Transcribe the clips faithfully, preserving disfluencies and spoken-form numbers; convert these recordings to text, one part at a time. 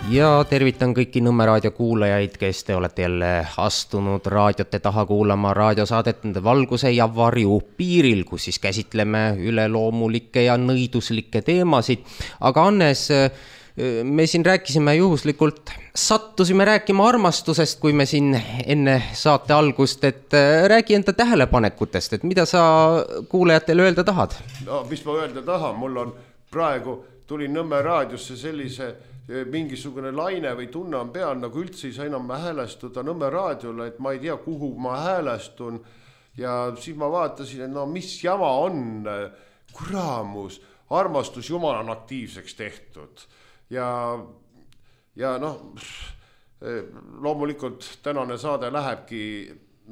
Ja tervitan kõiki Nõmme raadio kuulajaid, kes te olete jälle astunud raadiote taha kuulama raadiosaadet Valguse ja varju piiril, kus siis käsitleme üleloomulikke ja nõiduslikke teemasid. Aga Annes, me siin rääkisime juhuslikult, sattusime rääkima armastusest, kui me siin enne saate algust, et räägi enda tähelepanekutest, et mida sa kuulajatele öelda tahad? No, mis ma öelda tahan, mul on praegu tuli Nõmme raadiosse sellise mingisugune laine või tunne on peal, nagu üldse ei saa enam häälestuda Nõmme raadiole, et ma ei tea, kuhu ma häälestun. Ja siis ma vaatasin, et no mis jama on, kuraamus, armastus Jumal on aktiivseks tehtud. Ja, ja noh, loomulikult tänane saade lähebki,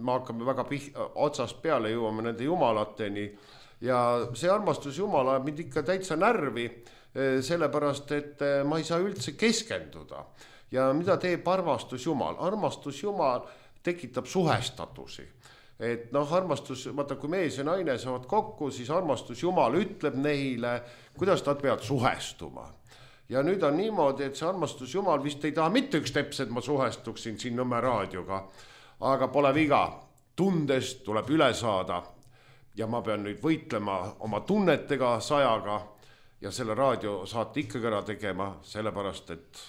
me hakkame väga pih- otsast peale jõuame nende jumalateni. Ja see armastus Jumal ajab mind ikka täitsa närvi, sellepärast, et ma ei saa üldse keskenduda. Ja mida teeb armastus Jumal? Armastus Jumal tekitab suhestatusi. Et noh, armastus, vaata, kui mees ja naine saavad kokku, siis armastus Jumal ütleb neile, kuidas nad peavad suhestuma. Ja nüüd on niimoodi, et see armastus Jumal vist ei taha mitte üks teps, et ma suhestuksin siin Nõmme raadioga. Aga pole viga, tundest tuleb üle saada. Ja ma pean nüüd võitlema oma tunnetega sajaga. Ja selle raadio saate ikkagi ära tegema, sellepärast, et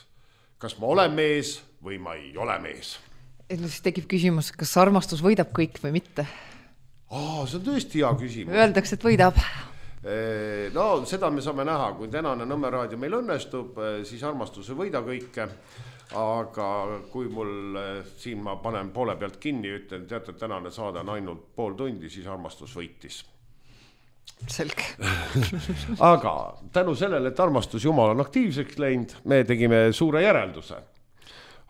kas ma olen mees või ma ei ole mees. Et siis tekib küsimus, kas armastus võidab kõik või mitte? Aa, see on tõesti hea küsimus. Öeldakse, et võidab. No, seda me saame näha, kui tänane Nõmme raadio meil õnnestub, siis armastus ei võida kõike. Aga kui mul siin ma panen poole pealt kinni, ütlen, teate, tänane saade on ainult pool tundi, siis armastus võitis. Selge. Aga tänu sellele, et armastus Jumal on aktiivseks läinud, me tegime suure järelduse.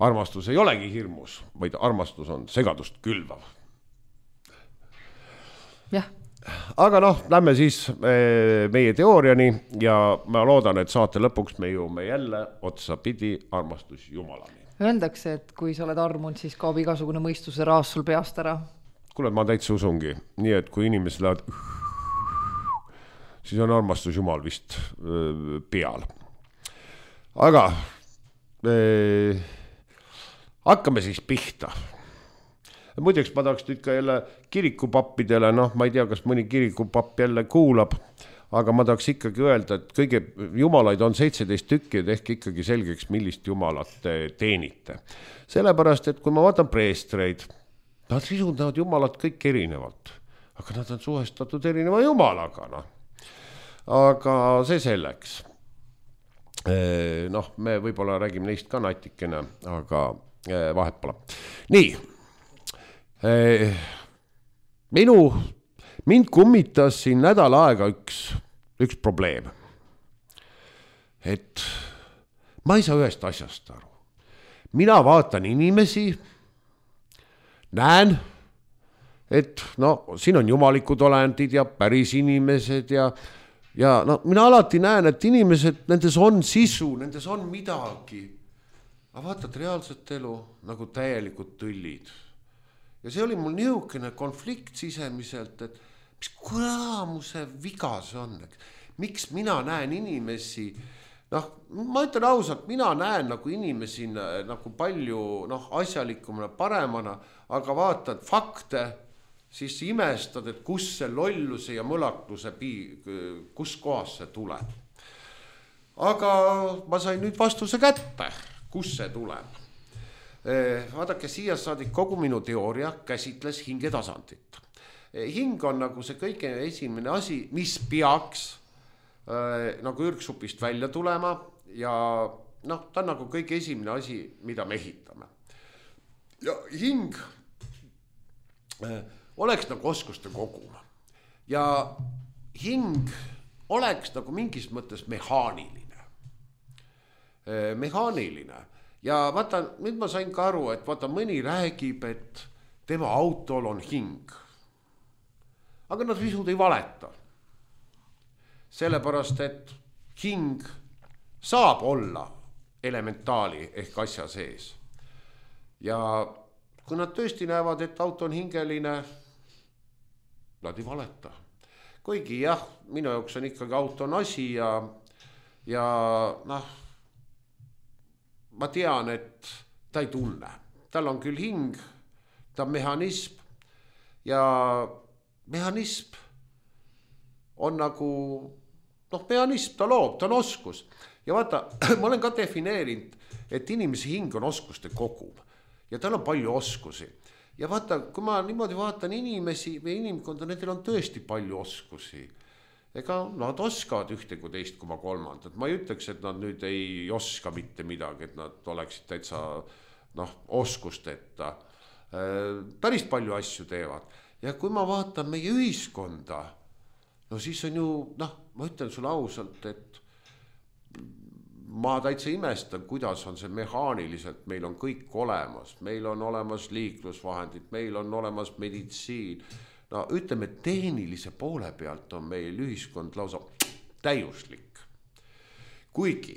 Armastus ei olegi hirmus, vaid armastus on segadust külvav. Jah. Aga noh, lähme siis meie teooriani ja ma loodan, et saate lõpuks me jõuame jälle otsa pidi armastus Jumalani. Öeldakse, et kui sa oled armunud, siis kaob igasugune mõistuse raas sul peast ära. Kuule, ma täitsa usungi. Nii, et kui inimesed lähevad siis on armastus Jumal vist öö, peal. Aga öö, hakkame siis pihta. Muideks ma tahaks nüüd ka jälle kirikupappidele, noh, ma ei tea, kas mõni kirikupapp jälle kuulab, aga ma tahaks ikkagi öelda, et kõige jumalaid on seitseteist tükki, et ehk ikkagi selgeks, millist jumalat teenite. Sellepärast, et kui ma vaatan preestreid, nad risundavad jumalat kõik erinevalt, aga nad on suhestatud erineva jumalaga, noh. Aga see selleks. Noh, me võib-olla räägime neist ka natikene, aga vahet pole. Nii, minu, mind kummitas siin nädal aega üks, üks probleem. Et ma ei saa ühest asjast aru. Mina vaatan inimesi, näen, et no, siin on jumalikud olendid ja päris inimesed ja Ja no, mina alati näen, et inimesed, nendes on sisu, nendes on midagi. Aga vaatad reaalset elu nagu täielikud tõllid. Ja see oli mul niisugune konflikt sisemiselt, et mis kuramuse viga see on. Miks mina näen inimesi, noh, ma ütlen ausalt, mina näen nagu inimesi nagu palju noh, asjalikumana, paremana, aga vaatad fakte, siis imestad, et kus see lolluse ja mõlakluse, kus kohas see tuleb. Aga ma sain nüüd vastuse kätte, kus see tuleb. Vaadake, siia saadik kogu minu teooria käsitles hingetasandit. Hing on nagu see kõige esimene asi, mis peaks nagu ürgsupist välja tulema ja noh, ta on nagu kõige esimene asi, mida me ehitame. Ja hing oleks nagu oskuste kogum. Ja hing oleks nagu mingis mõttes mehaaniline. Mehaaniline. Ja vaata, nüüd ma sain ka aru, et vaata, mõni räägib, et tema autol on hing. Aga nad visud ei valeta. Sellepärast, et hing saab olla elementaali ehk asja sees. Ja kui nad tõesti näevad, et auto on hingeline, nad ei valeta. Kuigi jah, minu jaoks on ikkagi auto on asi ja, ja noh, ma tean, et ta ei tunne. Tal on küll hing, ta on mehhanism ja mehhanism on nagu, noh, mehhanism, ta loob, ta on oskus. Ja vaata, ma olen ka defineerinud, et inimese hing on oskuste kogum ja tal on palju oskusi. Ja vaata, kui ma niimoodi vaatan inimesi või inimkonda, nendel on tõesti palju oskusi. Ega nad oskavad ühte kui teist koma kolmandat. Ma ei ütleks, et nad nüüd ei oska mitte midagi, et nad oleksid täitsa noh, oskusteta. Päris palju asju teevad. Ja kui ma vaatan meie ühiskonda, no siis on ju, noh, ma ütlen sulle ausalt, et ma täitsa imestan, kuidas on see mehaaniliselt, meil on kõik olemas, meil on olemas liiklusvahendid, meil on olemas meditsiin. No ütleme, tehnilise poole pealt on meil ühiskond lausa täiuslik. Kuigi,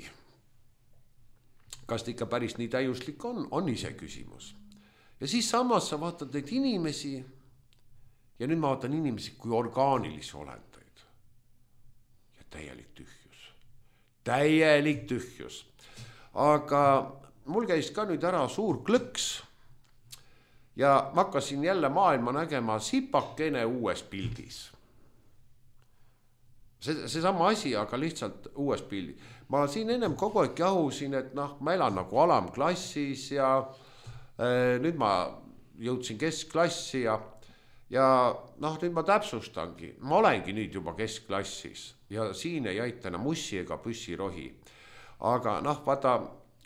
kas ta ikka päris nii täiuslik on, on ise küsimus. Ja siis samas sa vaatad neid inimesi ja nüüd ma vaatan inimesi kui orgaanilisi olendeid. Ja täielik tühjus. Täielik tühjus. Aga mul käis ka nüüd ära suur klõks ja ma hakkasin jälle maailma nägema sipakene uues pildis. See, see sama asi, aga lihtsalt uues pildi. Ma siin ennem kogu aeg jahusin, et noh, ma elan nagu alamklassis ja äh, nüüd ma jõudsin keskklassi ja, ja noh, nüüd ma täpsustangi. Ma olengi nüüd juba keskklassis ja siin ei aita enam mussi ega püssirohi. Aga noh, vaata,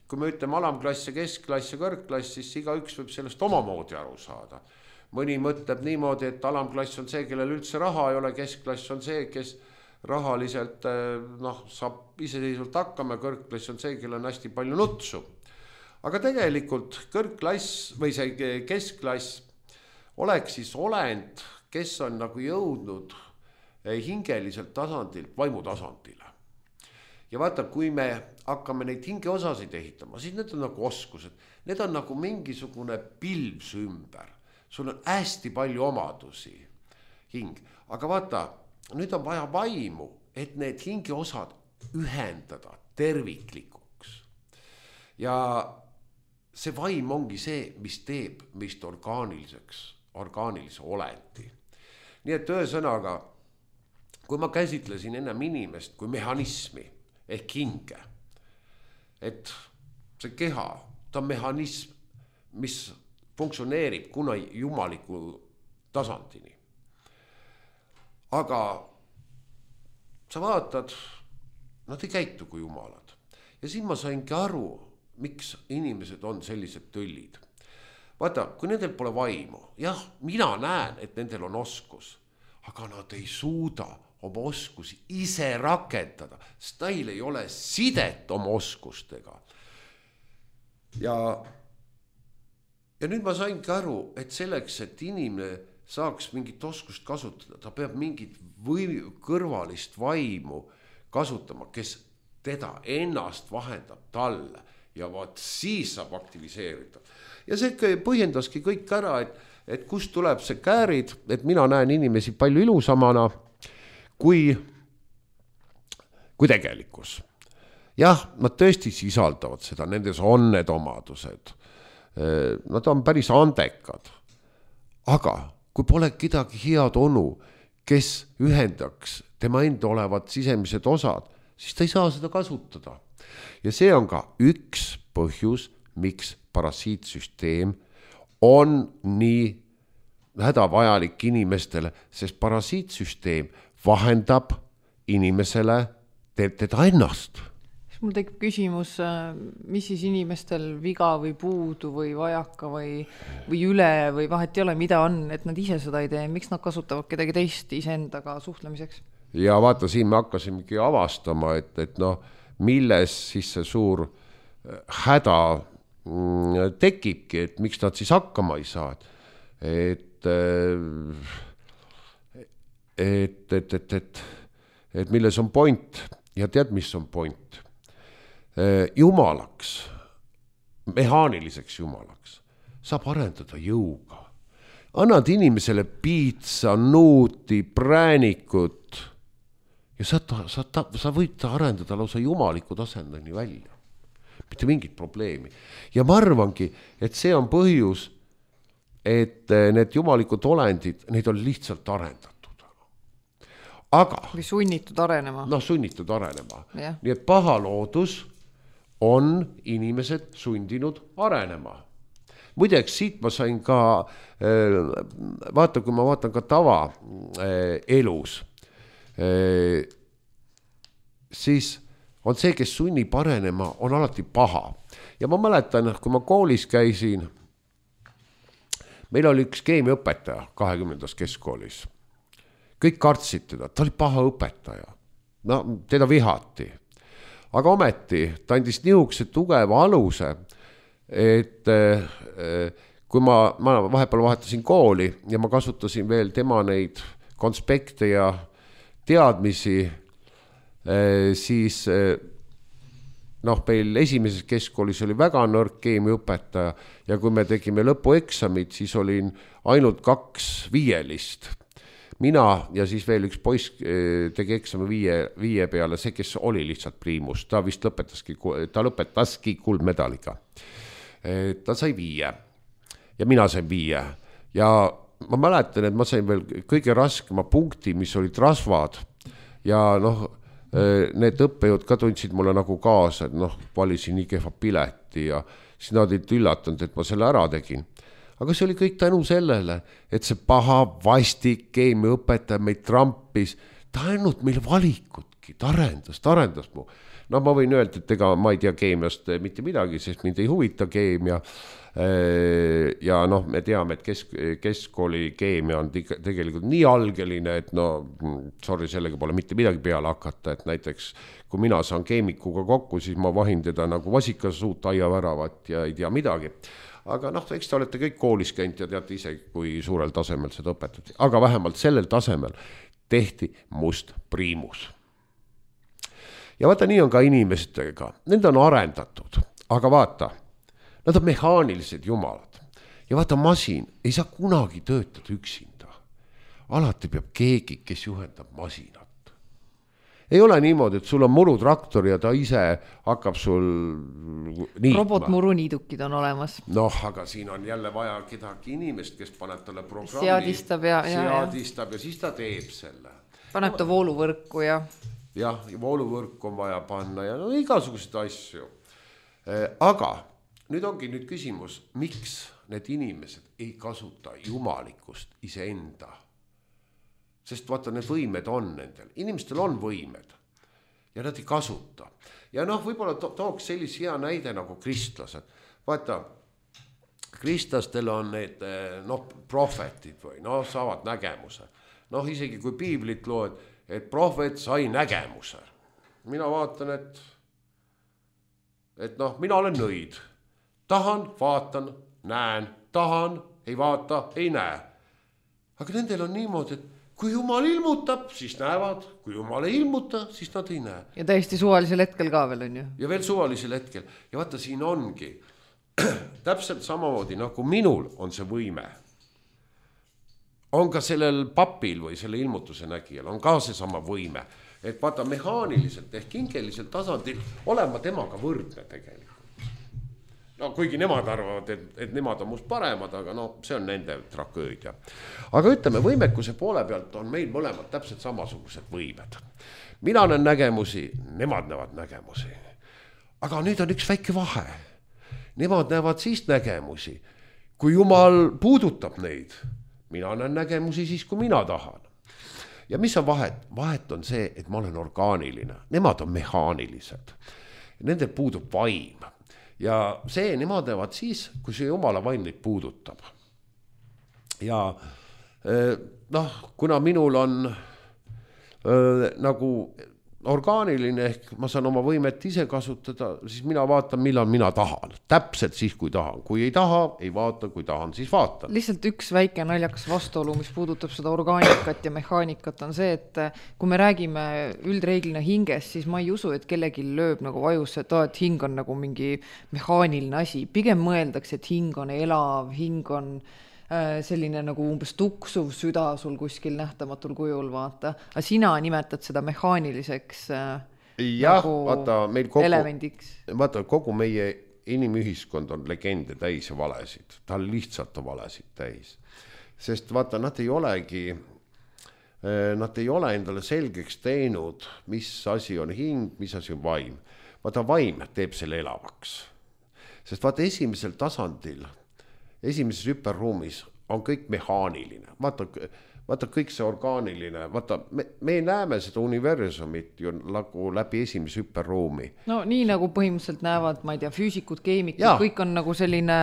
kui me ütleme alamklass ja keskklass ja kõrgklass, siis iga üks võib sellest omamoodi aru saada. Mõni mõtleb niimoodi, et alamklass on see, kellel üldse raha ei ole, keskklass on see, kes rahaliselt noh, saab iseseisvalt hakkama, kõrgklass on see, kellel on hästi palju nutsu. Aga tegelikult kõrgklass või see keskklass oleks siis olend, kes on nagu jõudnud hingeliselt tasandilt vaimu tasandile. Ja vaata, kui me hakkame neid hingeosasid ehitama, siis need on nagu oskused. Need on nagu mingisugune pilvs ümber. Sul on hästi palju omadusi hing. Aga vaata, nüüd on vaja vaimu, et need hingeosad ühendada terviklikuks. Ja see vaim ongi see, mis teeb meist orgaaniliseks, orgaanilise olendi. Nii et ühesõnaga, kui ma käsitlesin ennem inimest kui mehhanismi ehk hinge, et see keha, ta on mehhanism, mis funktsioneerib kuna jumaliku tasandini. Aga sa vaatad, nad ei käitu kui jumalad. Ja siin ma saingi aru, miks inimesed on sellised töllid. Vaata, kui nendel pole vaimu, jah, mina näen, et nendel on oskus, aga nad ei suuda oma oskusi ise rakendada, sest neil ei ole sidet oma oskustega. Ja, ja nüüd ma saingi aru, et selleks, et inimene saaks mingit oskust kasutada, ta peab mingit või kõrvalist vaimu kasutama, kes teda ennast vahendab talle ja vaat siis saab aktiviseerida. Ja see põhjendaski kõik ära, et, et kust tuleb see käärid, et mina näen inimesi palju ilusamana kui, kui tegelikkus. Jah, nad tõesti sisaldavad seda, nendes on need omadused. Nad on päris andekad. Aga kui pole kedagi head onu, kes ühendaks tema enda olevad sisemised osad, siis ta ei saa seda kasutada. Ja see on ka üks põhjus, miks parasiitsüsteem on nii hädavajalik inimestele, sest parasiitsüsteem vahendab inimesele teda ennast. Mul tekib küsimus, mis siis inimestel viga või puudu või vajaka või, või üle või vahet ei ole, mida on, et nad ise seda ei tee, miks nad kasutavad kedagi teist iseendaga suhtlemiseks? Ja vaata, siin me hakkasimegi avastama, et, et noh, milles siis see suur häda tekibki, et miks nad siis hakkama ei saa. Et, et, et, et, et, et milles on point ja tead, mis on point? Jumalaks, mehaaniliseks jumalaks, saab arendada jõuga. Annad inimesele piitsa, nuuti, präänikut ja sa, sa, sa, sa võid ta arendada lausa jumaliku tasandini välja. mitte mingit probleemi. Ja ma arvangi, et see on põhjus, et need jumalikud olendid, neid on lihtsalt arendatud. Aga... või sunnitud arenema. Noh, sunnitud arenema. Yeah. Nii et paha loodus on inimesed sundinud arenema. Muideks, siit ma sain ka, vaata, kui ma vaatan ka tava elus, siis on see, kes sunnib arenema, on alati paha. Ja ma mäletan, kui ma koolis käisin, meil oli üks keemiaõpetaja kahekümnendas keskkoolis. Kõik kartsid teda, ta oli paha õpetaja. No, teda vihati. Aga ometi, ta andis niisuguse tugeva aluse, et kui ma, ma vahepeal vahetasin kooli ja ma kasutasin veel tema neid konspekte ja teadmisi, siis noh, meil esimeses keskkoolis oli väga nõrk keemiaõpetaja ja kui me tegime lõpueksamid, siis olin ainult kaks viielist. Mina ja siis veel üks poiss tegi eksami viie, viie peale, see, kes oli lihtsalt priimus, ta vist lõpetaski, ta lõpetaski kuldmedaliga. Ta sai viie ja mina sain viie ja ma mäletan, et ma sain veel kõige raskema punkti, mis olid rasvad ja noh, need õppejõud ka tundsid mulle nagu kaasa, et noh, valisin nii kehva pileti ja siis nad olid üllatunud, et ma selle ära tegin. Aga see oli kõik tänu sellele, et see paha vastik keemiaõpetaja meid trampis, ta ainult meil valikutki, ta arendas, ta arendas mu. No ma võin öelda, et ega ma ei tea keemiast mitte midagi, sest mind ei huvita keemia. Ja noh, me teame, et kesk, keskkooli keemia on tegelikult nii algeline, et no, sorry, sellega pole mitte midagi peale hakata, et näiteks kui mina saan keemikuga kokku, siis ma vahin teda nagu vasikasuut aiaväravat ja ei tea midagi. Aga noh, eks te olete kõik koolis käinud ja teate ise, kui suurel tasemel seda õpetati. Aga vähemalt sellel tasemel tehti must priimus. Ja vaata, nii on ka inimestega. Need on arendatud, aga vaata, nad on mehaanilised jumalad. Ja vaata, masin ei saa kunagi töötada üksinda. Alati peab keegi, kes juhendab masinat. Ei ole niimoodi, et sul on murutraktor ja ta ise hakkab sul niitma. Robotmuruniidukid on olemas. Noh, aga siin on jälle vaja kedagi inimest, kes paneb talle programmi. Seadistab ja, ja, seadistab ja siis ta teeb selle. Paneb ta vooluvõrku ja... Jah, vooluvõrku on vaja panna ja no igasuguseid asju. Aga nüüd ongi nüüd küsimus, miks need inimesed ei kasuta jumalikust iseenda? Sest vaata, need võimed on nendel. Inimestel on võimed ja nad ei kasuta. Ja noh, võib-olla to- tooks sellise hea näide nagu kristlased. Vaata, kristlastel on need noh, prohvetid või noh, saavad nägemuse. Noh, isegi kui piiblit loed, et prohvet sai nägemuse. Mina vaatan, et, et noh, mina olen nõid. Tahan, vaatan, näen, tahan, ei vaata, ei näe. Aga nendel on niimoodi, et kui Jumal ilmutab, siis näevad. Kui Jumal ei ilmuta, siis nad ei näe. Ja täiesti suvalisel hetkel ka veel on ju. Ja veel suvalisel hetkel. Ja vaata, siin ongi täpselt samamoodi, nagu minul on see võime. On ka sellel papil või selle ilmutuse nägijal, on ka see sama võime. Et vaata, mehaaniliselt ehk hingeliselt tasandil olema temaga võrdne tegelikult. No kuigi nemad arvavad, et, et nemad on must paremad, aga no see on nende tragöödia. Aga ütleme, võimekuse poole pealt on meil mõlemad täpselt samasugused võimed. Mina näen nägemusi, nemad näevad nägemusi. Aga nüüd on üks väike vahe. Nemad näevad siis nägemusi, kui Jumal puudutab neid. Mina näen nägemusi siis, kui mina tahan. Ja mis on vahet? Vahet on see, et ma olen orgaaniline. Nemad on mehaanilised. Nendel puudub vaim. Ja see nemad näevad siis, kui see Jumala vaim neid puudutab. Ja noh, kuna minul on äh, nagu orgaaniline ehk ma saan oma võimet ise kasutada, siis mina vaatan, millal mina tahan. Täpselt siis, kui tahan. Kui ei taha, ei vaata, kui tahan, siis vaatan. Lihtsalt üks väike naljakas vastuolu, mis puudutab seda orgaanikat ja mehaanikat, on see, et kui me räägime üldreeglina hingest, siis ma ei usu, et kellegi lööb nagu vajusse, et, et hing on nagu mingi mehaaniline asi. Pigem mõeldakse, et hing on elav, hing on selline nagu umbes tuksuv süda sul kuskil nähtamatul kujul, vaata. Aga sina nimetad seda mehaaniliseks jah, nagu vaata, meil kogu, elemendiks. Vaata, kogu meie inimühiskond on legende täis ja valesid. Ta lihtsalt on valesid täis. Sest vaata, nad ei olegi, nad ei ole endale selgeks teinud, mis asi on hing, mis asi on vaim. Vaata, vaim teeb selle elavaks. Sest vaata, esimesel tasandil, esimeses hüperruumis on kõik mehaaniline. Vaata, vaata kõik see orgaaniline, vaata, me, me näeme seda universumit ju nagu läbi esimese hüperruumi. No nii nagu põhimõtteliselt näevad, ma ei tea, füüsikud, keemikud, kõik on nagu selline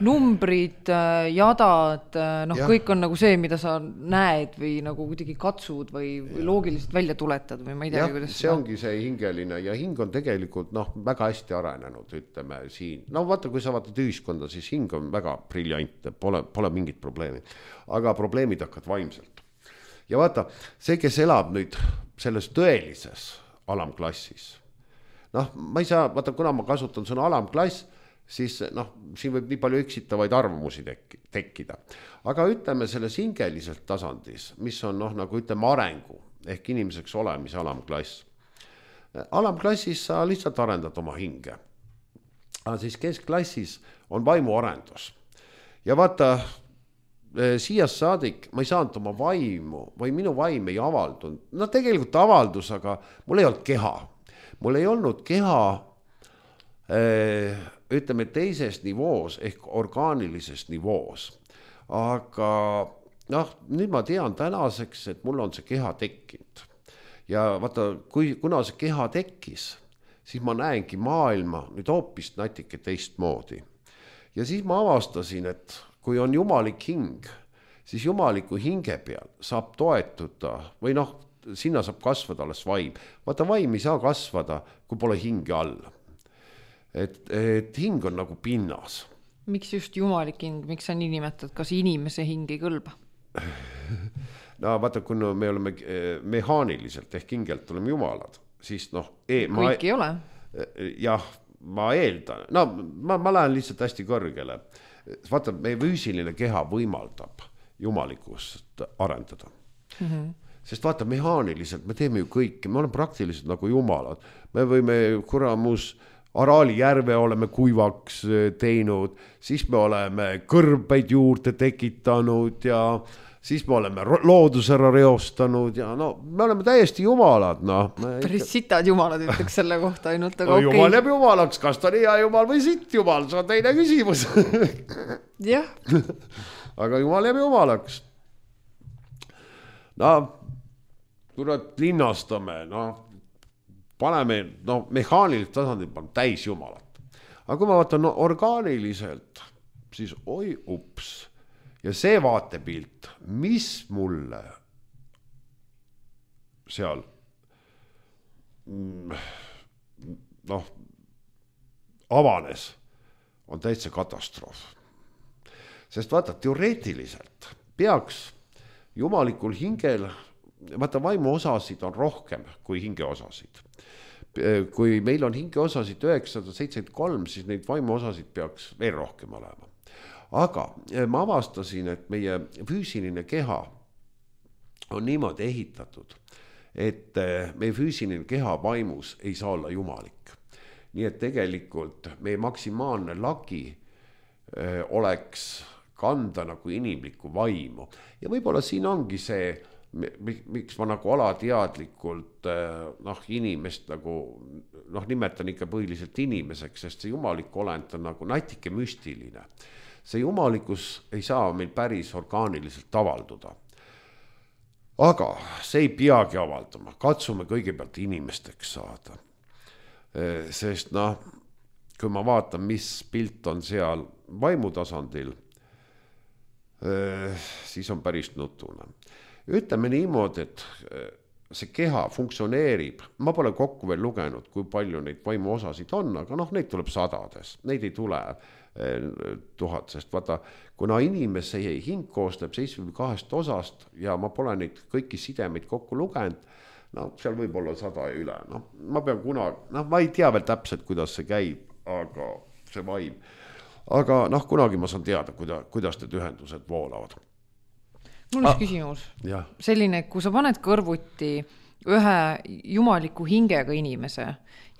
numbrid, jadad, noh, ja. Kõik on nagu see, mida sa näed või nagu kuidagi katsud või, või loogiliselt välja tuletad või ma ei tea, kuidas see ongi see hingeline ja hing on tegelikult noh, väga hästi arenenud, ütleme siin. No vaata, kui sa vaatad ühiskonda, siis hing on väga briljantne, pole, pole mingit probleemi. Aga probleemid hakkad vaimselt. Ja vaata, see, kes elab nüüd selles tõelises alamklassis, noh, ma ei saa, vaata, kuna ma kasutan sõna alamklass, siis noh, siin võib nii palju eksitavaid arvamusi tekki, tekkida. Aga ütleme selles hingeliselt tasandis, mis on noh, nagu ütleme arengu, ehk inimeseks olemise alamklass. Alamklassis sa lihtsalt arendad oma hinge. Aga siis keskklassis on vaimuarendus. Ja vaata, siia saadik ma ei saanud oma vaimu või minu vaim ei avaldunud. No tegelikult avaldus, aga mul ei olnud keha. Mul ei olnud keha ütleme teises nivoos ehk orgaanilises nivoos. Aga noh, nüüd ma tean tänaseks, et mul on see keha tekkinud. Ja vaata, kui, kuna see keha tekkis, siis ma näengi maailma nüüd hoopis natuke teistmoodi. Ja siis ma avastasin, et kui on jumalik hing, siis jumaliku hinge peal saab toetuda või noh, sinna saab kasvada alles vaim. Vaata, vaim ei saa kasvada, kui pole hinge all. Et, et hing on nagu pinnas. Miks just jumalik hing? Miks sa nii nimetad? Kas inimese hing ei kõlba? No vaata, kui me oleme mehaaniliselt ehk hingelt oleme jumalad, siis noh... E, ma, kõik ei ole. Jah, ma eeldan. No ma, ma lähen lihtsalt hästi kõrgele. Vaata, meie füüsiline keha võimaldab jumalikust arendada. Mm-hmm. Sest vaata, mehaaniliselt me teeme ju kõike, me oleme praktiliselt nagu jumalad. Me võime kuramus Araali järve oleme kuivaks teinud, siis me oleme kõrbeid juurde tekitanud ja siis me oleme loodus ära reostanud ja no me oleme täiesti jumalad. No. Päris sitad jumalad ütleks selle kohta ainult. Aga no, okay. Jumal jääb jumalaks, kas ta on hea jumal või sitt jumal, see on teine küsimus. Jah. Aga jumal jääb jumalaks. No, kurat linnastame, no, paneme, no, mehaaniliselt tasandil paneme täis jumalat. Aga kui ma vaatan no, orgaaniliselt, siis oi ups. Ja see vaatepilt, mis mulle seal noh, avanes, on täitsa katastroof. Sest vaata, teoreetiliselt peaks jumalikul hingel, vaata vaimu osasid on rohkem kui hinge osasid. Kui meil on hinge osasid üheksasada seitsekümmend kolm, siis neid vaimu osasid peaks veel rohkem olema. Aga ma avastasin, et meie füüsiline keha on niimoodi ehitatud, et meie füüsiline keha vaimus ei saa olla jumalik. Nii et tegelikult meie maksimaalne lagi oleks kanda nagu inimlikku vaimu. Ja võib-olla siin ongi see, miks ma nagu alateadlikult noh, inimest nagu, noh, nimetan ikka põhiliselt inimeseks, sest see jumalik olend on nagu natike müstiline. See jumalikus ei saa meil päris orgaaniliselt avalduda. Aga see ei peagi avaldama. Katsume kõigepealt inimesteks saada. Sest noh, kui ma vaatan, mis pilt on seal vaimutasandil, siis on päris nutune. Ütleme niimoodi, et see keha funktsioneerib. Ma pole kokku veel lugenud, kui palju neid vaimu osasid on, aga noh, neid tuleb sadades. Neid ei tule tuhat, sest vaata, kuna inimese hing koostab seitsekümmend kahest osast ja ma pole neid kõiki sidemeid kokku lugenud, no seal võib olla sada ja üle. No, ma pean kunagi, noh, ma ei tea veel täpselt, kuidas see käib, aga see vaim. Aga noh, kunagi ma saan teada, kuida, kuidas need ühendused voolavad. Mul on ah, küsimus. Ja. Selline, kui sa paned kõrvuti ühe jumaliku hingega inimese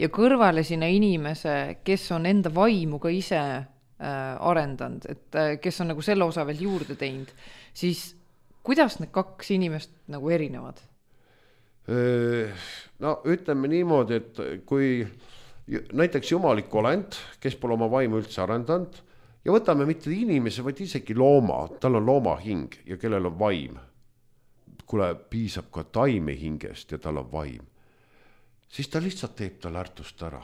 ja kõrvale sinna inimese, kes on enda vaimu ka ise äh, arendanud, et äh, kes on nagu selle osa veel juurde teinud, siis kuidas need kaks inimest nagu erinevad? No ütleme niimoodi, et kui näiteks jumalik olend, kes pole oma vaimu üldse arendanud ja võtame mitte inimese, vaid isegi looma, tal on looma hing ja kellel on vaim. Kule piisab ka taime hingest ja tal on vaim. Siis ta lihtsalt teeb tal ärtust ära.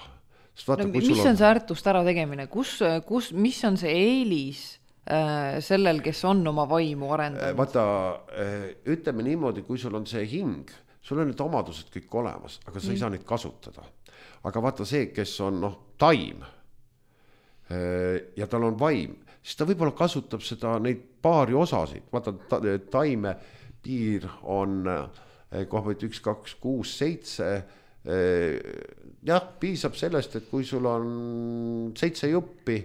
Vaata, no, mis on, on see ärtust ära tegemine? Kus, kus, mis on see eelis äh, sellel, kes on oma vaimu arendanud? Vaata, ütleme niimoodi, kui sul on see hing, sul on need omadused kõik olemas, aga sa mm. ei saa neid kasutada. Aga vaata see, kes on noh, taim ja tal on vaim, siis ta võib-olla kasutab seda neid paari osasid. Vaata, ta, taime piir on kohvõit üks, kaks, kuus, seitse. Jah, piisab sellest, et kui sul on seitse juppi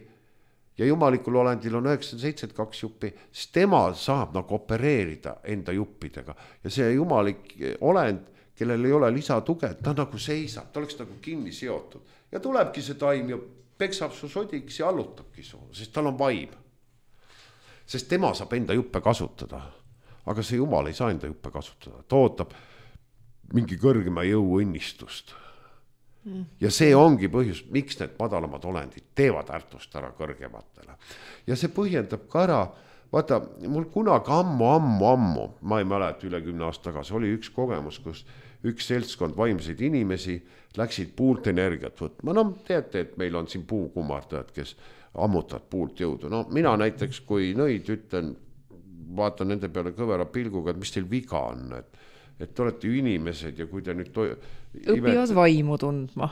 ja jumalikul olendil on üheksakümmend seitse kaks juppi, siis tema saab nagu opereerida enda juppidega. Ja see jumalik olend, kellel ei ole lisatuge, ta nagu seisab, ta oleks nagu kinni seotud. Ja tulebki see taim ja peksab su sodiks ja allutabki su, sest tal on vaim. Sest tema saab enda juppe kasutada. Aga see jumal ei saa enda juppe kasutada. Ta ootab mingi kõrgema jõu õnnistust. Mm. Ja see ongi põhjus, miks need madalamad olendid teevad ärtust ära kõrgematele. Ja see põhjendab ka ära, vaata, mul kunagi ammu, ammu, ammu, ma ei mäleta üle kümne aasta tagasi, oli üks kogemus, kus üks seltskond vaimseid inimesi läksid puult energiat võtma. No teate, et meil on siin puukummardajad, kes ammutavad puult jõudu. No mina näiteks, kui nõid ütlen, vaatan nende peale kõvera pilguga, et mis teil viga on, et, et te olete ju inimesed ja kui te nüüd to... õpivad imet... vaimu tundma.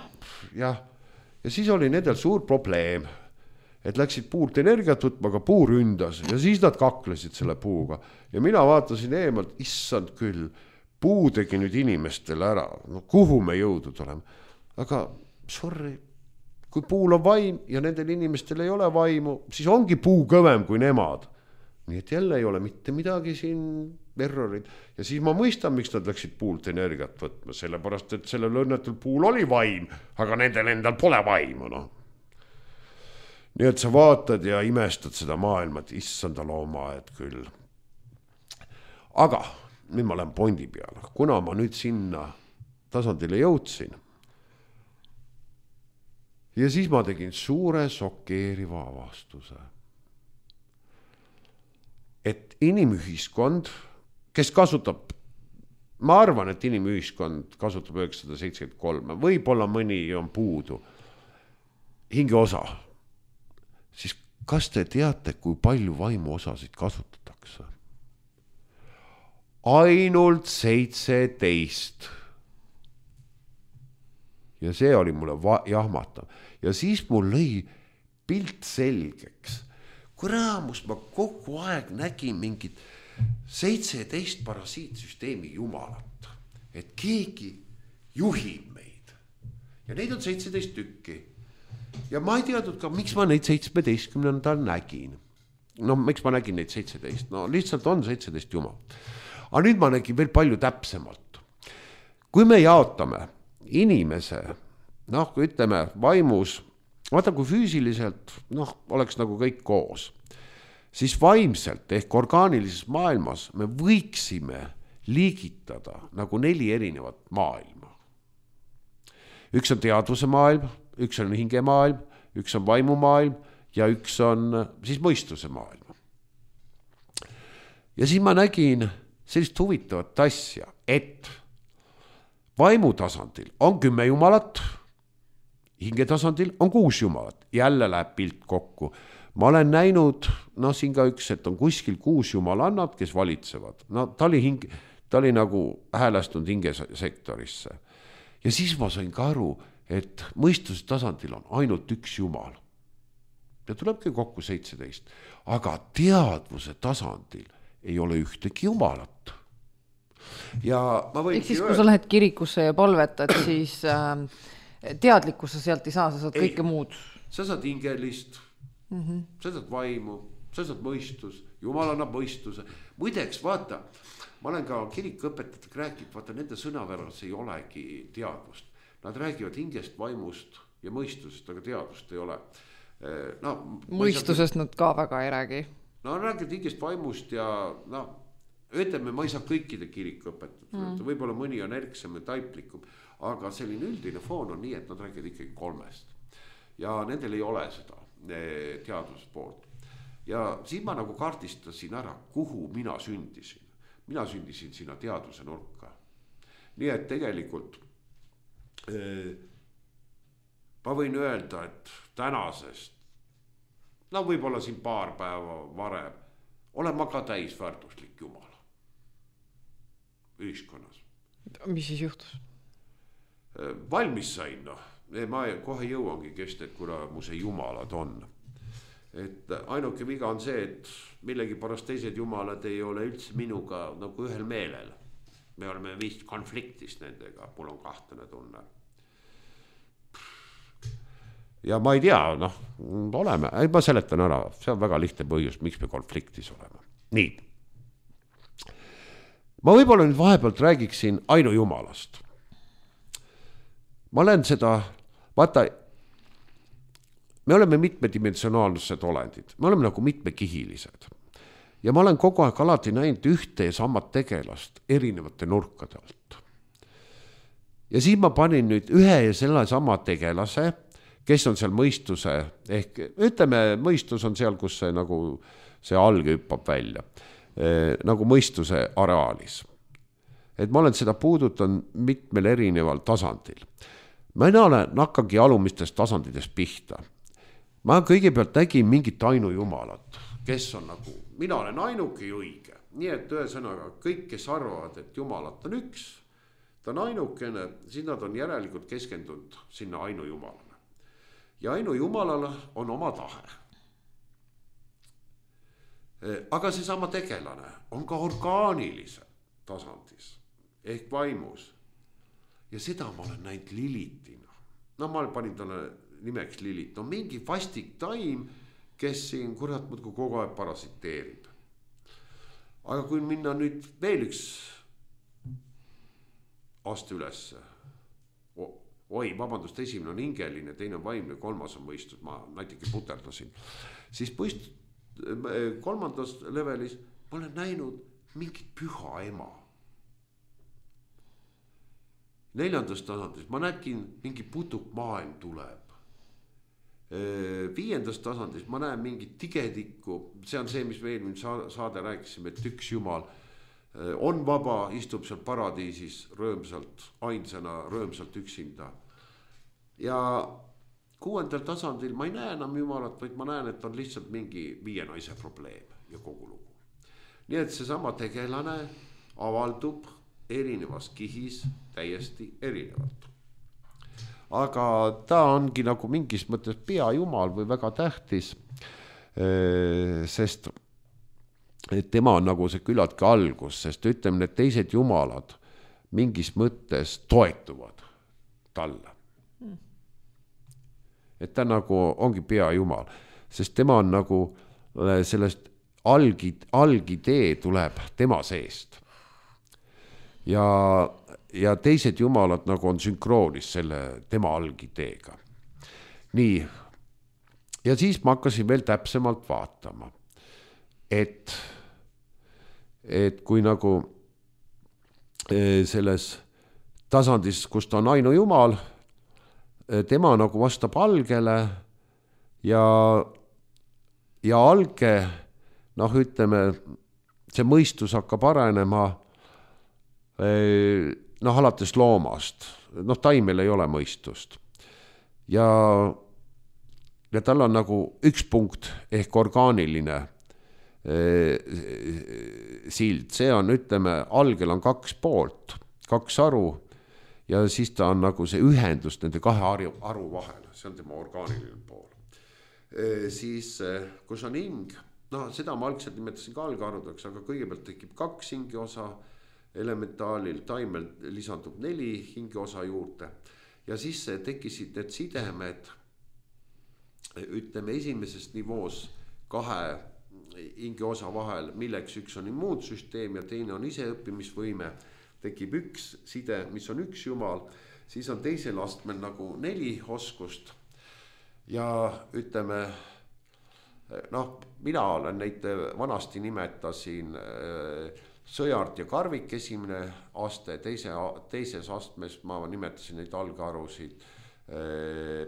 Jah, ja siis oli nendel suur probleem, et läksid puult energiat võtma, aga puu ründas ja siis nad kaklesid selle puuga. Ja mina vaatasin eemalt, issand küll, puu tegi nüüd inimestele ära, no kuhu me jõudud oleme. Aga sorry, kui puul on vaim ja nendel inimestel ei ole vaimu, siis ongi puu kõvem kui nemad. Nii et jälle ei ole mitte midagi siin errorid. Ja siis ma mõistan, miks nad läksid puult energiat võtma, sellepärast, et sellel õnnetul puul oli vaim, aga nendel endal pole vaimu, noh. Nii et sa vaatad ja imestad seda maailma, et issanda looma, et küll. Aga nüüd ma lähen pointi peale, kuna ma nüüd sinna tasandile jõudsin. Ja siis ma tegin suure šokeeriva avastuse. Et inimühiskond, kes kasutab, ma arvan, et inimühiskond kasutab üheksasada seitsekümmend kolm, võib-olla mõni on puudu, hinge osa, siis kas te teate, kui palju vaimu osasid kasutatakse? Ainult seitseteist. Ja see oli mulle va- jahmatav. Ja siis mul lõi pilt selgeks. Kui raamus ma kogu aeg nägin mingit seitseteist parasiitsüsteemi jumalat. Et keegi juhib meid. Ja neid on seitseteist tükki. Ja ma ei teadnud ka, miks ma neid seitsmeteistkümnendal nägin. No miks ma nägin neid seitseteist? No lihtsalt on seitseteist jumal. Aga nüüd ma nägin veel palju täpsemalt. Kui me jaotame inimese, noh, kui ütleme vaimus, vaata kui füüsiliselt, noh, oleks nagu kõik koos, siis vaimselt ehk orgaanilises maailmas me võiksime liigitada nagu neli erinevat maailma. Üks on teadvuse maailm, üks on hingemaailm, üks on vaimumaailm ja üks on siis mõistuse maailm. Ja siis ma nägin sellist huvitavat asja, et vaimu tasandil on kümme jumalat, hinge tasandil on kuus jumalat, jälle läheb pilt kokku. Ma olen näinud, no siin ka üks, et on kuskil kuus jumalannad, kes valitsevad. No ta oli, hing, ta oli nagu häälestunud hingesektorisse. Ja siis ma sain ka aru, et mõistuse tasandil on ainult üks jumal. Ja tulebki kokku seitseteist. Aga teadvuse tasandil ei ole ühtegi jumalat. Ja ma võin Ehk siis, kui sa lähed kirikusse ja palvetad, siis äh, teadlikkusse sealt ei saa, sa saad kõike ei, muud. Sa saad hingelist, mm-hmm. sa saad vaimu, sa saad mõistus, jumal annab mõistuse. Muideks, vaata, ma olen ka kirikuõpetajatega rääkinud, vaata nende sõnaväras ei olegi teadvust. Nad räägivad hingest, vaimust ja mõistusest, aga teadvust ei ole. No, mõistusest saa... nad ka väga ei räägi. No räägivad hingest, vaimust ja no, ütleme, ma ei saa kõikide kirikuõpetajad mm., võib-olla mõni on erksam ja taiplikum, aga selline üldine foon on nii, et nad räägivad ikkagi kolmest. Ja nendel ei ole seda teaduspoolt. Ja siin ma nagu kaardistasin ära, kuhu mina sündisin. Mina sündisin sinna teaduse nurka. Nii et tegelikult eh, ma võin öelda, et tänasest, no võib-olla siin paar päeva varem, olen ma ka täisväärtuslik Jumala ühiskonnas. Mis siis juhtus? Valmis sain, noh. Ma kohe jõuangi kesta, et kuna mu see Jumalad on. Et ainuke viga on see, et millegi pärast teised Jumalad ei ole üldse minuga nagu ühel meelel. Me oleme vist konfliktis nendega, mul on kahtlane tunne. Ja ma ei tea, noh, oleme, ei ma seletan ära, see on väga lihtne põhjus, miks me konfliktis oleme. Nii. Ma võib-olla nüüd vahepealt räägiksin ainu Jumalast. Ma olen seda, vaata, me oleme mitmedimensionaalsed olendid, me oleme nagu mitmekihilised. Ja ma olen kogu aeg alati näinud ühte ja samad tegelast erinevate nurkade alt. Ja siin ma panin nüüd ühe ja selle sama tegelase, kes on seal mõistuse, ehk ütleme, mõistus on seal, kus see, nagu, see alge hüppab välja, eh, nagu mõistuse areaalis. Et ma olen seda puudutan mitmel erineval tasandil. Ma ei olen nakkagi alumistest tasandidest pihta. Ma kõigepealt nägin mingit ainu Jumalat, kes on nagu, mina olen ainuke õige. Nii et ühesõnaga, kõik, kes arvavad, et Jumalat on üks, ta on ainukene, siis nad on järelikult keskendunud sinna ainu Jumalale. Ja ainu Jumalale on oma tahe. Aga see sama tegelane on ka orgaanilise tasandis ehk vaimus. Ja seda ma olen näinud Lilitina. No ma panin talle nimeks Lilit. No mingi vastik taim, kes siin kurat muudku kogu aeg parasiteerib. Aga kui minna nüüd veel üks aste ülesse, oi, vabandust, esimene on hingeline, teine on vaimne, kolmas on mõistus, ma natuke puterdasin. Siis mõist, kolmandas levelis ma olen näinud mingit püha ema. Neljandas tasandis ma nägin mingi putuk maailm tuleb. Viiendas tasandis ma näen mingit tigedikku, see on see, mis me eelmine saade rääkisime, et üks Jumal on vaba, istub seal paradiisis rõõmsalt, ainsana rõõmsalt üksinda. Ja kuuendal tasandil ma ei näe enam Jumalat, vaid ma näen, et on lihtsalt mingi viie naise probleem ja kogu lugu. Nii et see sama tegelane avaldub erinevas kihis täiesti erinevalt. Aga ta ongi nagu mingis mõttes pea Jumal või väga tähtis, sest tema on nagu see küllaltki algus, sest ütleme, need teised Jumalad mingis mõttes toetuvad talle. Et ta nagu ongi pea Jumal, sest tema on nagu sellest algi, algidee tuleb tema seest. Ja, ja teised Jumalad nagu on sünkroonis selle tema algideega. Nii, ja siis ma hakkasin veel täpsemalt vaatama, et, et kui nagu selles tasandis, kus ta on ainu Jumal, tema nagu vastab algele ja, ja alge, noh ütleme, see mõistus hakkab arenema noh, alates loomast, noh, taimel ei ole mõistust. Ja, ja tal on nagu üks punkt ehk orgaaniline eh, sild, see on, ütleme, algel on kaks poolt, kaks aru ja siis ta on nagu see ühendus nende kahe aru, aru vahel, see on tema orgaaniline pool. Eh, siis, kus on hing, noh, seda ma algselt nimetasin ka algarudeks, aga kõigepealt tekib kaks hingi osa, elementaalil, taimel lisandub neli hingeosa juurde ja siis tekkisid need sidemed, ütleme, esimeses nivoos kahe hingeosa vahel, milleks üks on immuunsüsteem ja teine on iseõppimisvõime, tekib üks side, mis on üks jumal, siis on teisel astmel nagu neli oskust ja ütleme, noh, mina olen neid vanasti nimetasin Sõjart ja Karvik esimene aste, teise, teises astmes ma nimetasin neid algarusid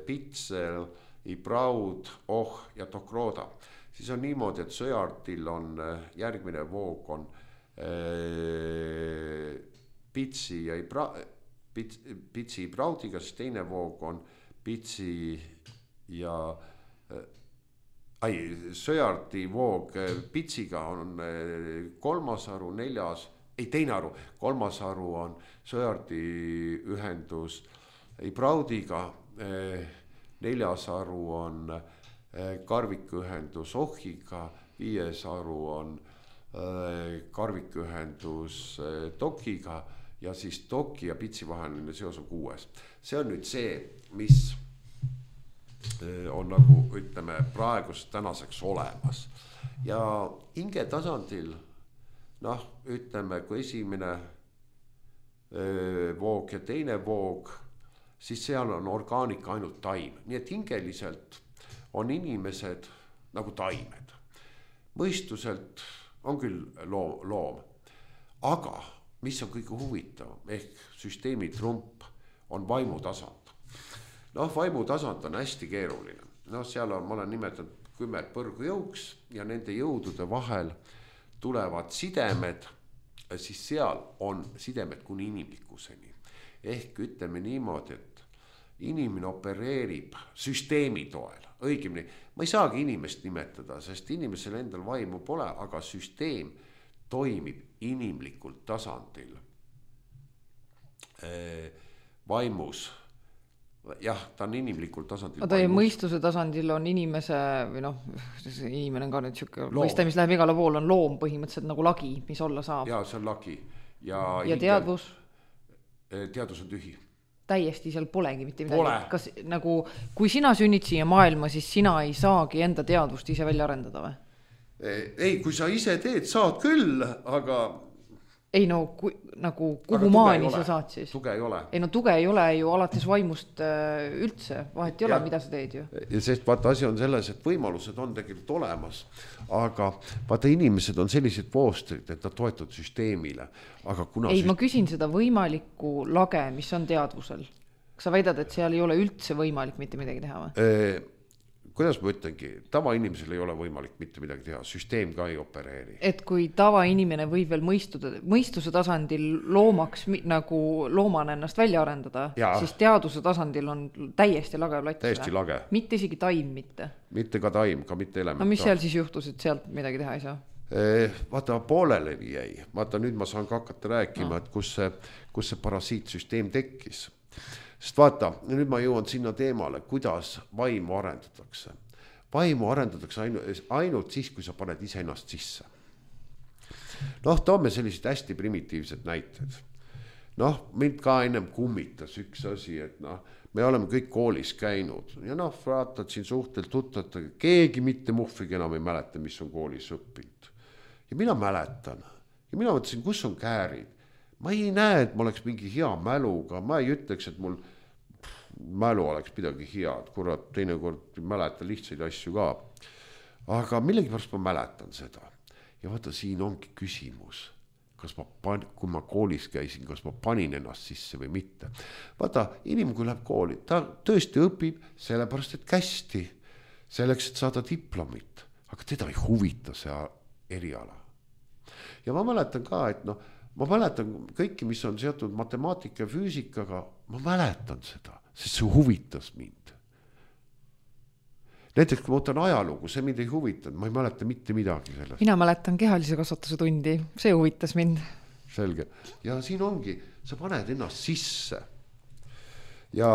Pitsel, Ibraud, Oh ja Tokroda. Siis on niimoodi, et Sõjartil on järgmine voog on Pitsi ja Ibra, Pits, Pitsi Ibraudiga, siis teine voog on Pitsi ja ai, Sõjarti voog Pitsiga on kolmas aru, neljas, ei teine aru, kolmas aru on Sõjarti ühendus Ibraudiga, neljas aru on karvikühendus Ohiga, viies aru on karvikühendus Tokiga ja siis Toki ja Pitsi vaheline seos on kuues. See on nüüd see, mis on nagu ütleme praegust tänaseks olemas ja hinge tasandil noh, ütleme kui esimene voog ja teine voog, siis seal on orgaanika ainult taim, nii et hingeliselt on inimesed nagu taimed. Mõistuselt on küll loom, loom. Aga mis on kõige huvitav ehk süsteemi trump on vaimutasand. Noh, vaimutasand on hästi keeruline. Noh, seal on, ma olen nimetanud kümme põrgujõuks ja nende jõudude vahel tulevad sidemed, siis seal on sidemed kuni inimlikkuseni. Ehk ütleme niimoodi, et inimene opereerib süsteemi toel, õigemini, ma ei saagi inimest nimetada, sest inimesel endal vaimu pole, aga süsteem toimib inimlikul tasandil vaimus. Jah, ta on inimlikul tasandil. Ta mõistuse tasandil on inimese, või noh, inimene on ka nüüd siuke mõiste, mis läheb igale pool, on loom põhimõtteliselt nagu lagi, mis olla saab. Ja, see on lagi. Ja, ja teadvus? Teadvus on tühi. Täiesti seal polegi mitte midagi. Pole. Kas nagu, kui sina sünnid siia maailma, siis sina ei saagi enda teadvust ise välja arendada või? Ei, kui sa ise teed, saad küll, aga... Ei no, kui, nagu kuhu maani sa saad siis? Tuge ei ole. Ei no tuge ei ole ju alates vaimust üldse, vahet ei ole, ja, mida sa teed ju. Ja sest vaata asi on selles, et võimalused on tegelikult olemas, aga vaata inimesed on sellised voostrid, et nad toetud süsteemile. Aga kuna ei, süst... ma küsin seda võimalikku lage, mis on teadvusel. Kas sa väidad, et seal ei ole üldse võimalik mitte midagi teha või? E... Kuidas ma ütlengi, tavainimesel ei ole võimalik mitte midagi teha, süsteem ka ei opereeri. Et kui tavainimene võib veel mõistuda, mõistuse tasandil loomaks nagu loomana ennast välja arendada, ja. Siis teaduse tasandil on täiesti lage plats. Täiesti lage. Mitte isegi taim mitte. Mitte ka taim, ka mitte element. No mis seal siis juhtus, et sealt midagi teha ei saa? E, vaata, pooleleni jäi. Vaata, nüüd ma saan ka hakata rääkima, no. et kus see, kus see parasiitsüsteem tekkis. Sest vaata, nüüd ma jõuan sinna teemale, kuidas vaimu arendatakse. Vaimu arendatakse ainult, ainult siis, kui sa paned ise ennast sisse. Noh, toome sellised hästi primitiivsed näited. Noh, mind ka ennem kummitas üks asi, et noh, me oleme kõik koolis käinud. Ja noh, vaatad siin suhtelt tuttavad, keegi mitte muhvigi enam ei mäleta, mis on koolis õppinud. Ja mina mäletan. Ja mina mõtlesin, kus on käärid. Ma ei näe, et ma oleks mingi hea mäluga, ma ei ütleks, et mul mälu oleks midagi head, kurat, teinekord mäleta lihtsaid asju ka. Aga millegipärast ma mäletan seda. Ja vaata, siin ongi küsimus, kas ma pan, kui ma koolis käisin, kas ma panin ennast sisse või mitte. Vaata, inimene kui läheb kooli, ta tõesti õpib sellepärast, et kästi, selleks, et saada diplomit, aga teda ei huvita see eriala. Ja ma mäletan ka, et noh, ma mäletan kõiki, mis on seotud matemaatika ja füüsikaga, ma mäletan seda, sest see huvitas mind. Näiteks, kui ma võtan ajalugu, see mind ei huvitanud, ma ei mäleta mitte midagi sellest. Mina mäletan kehalise kasvatuse tundi, see huvitas mind. Selge. Ja siin ongi, sa paned ennast sisse. Ja,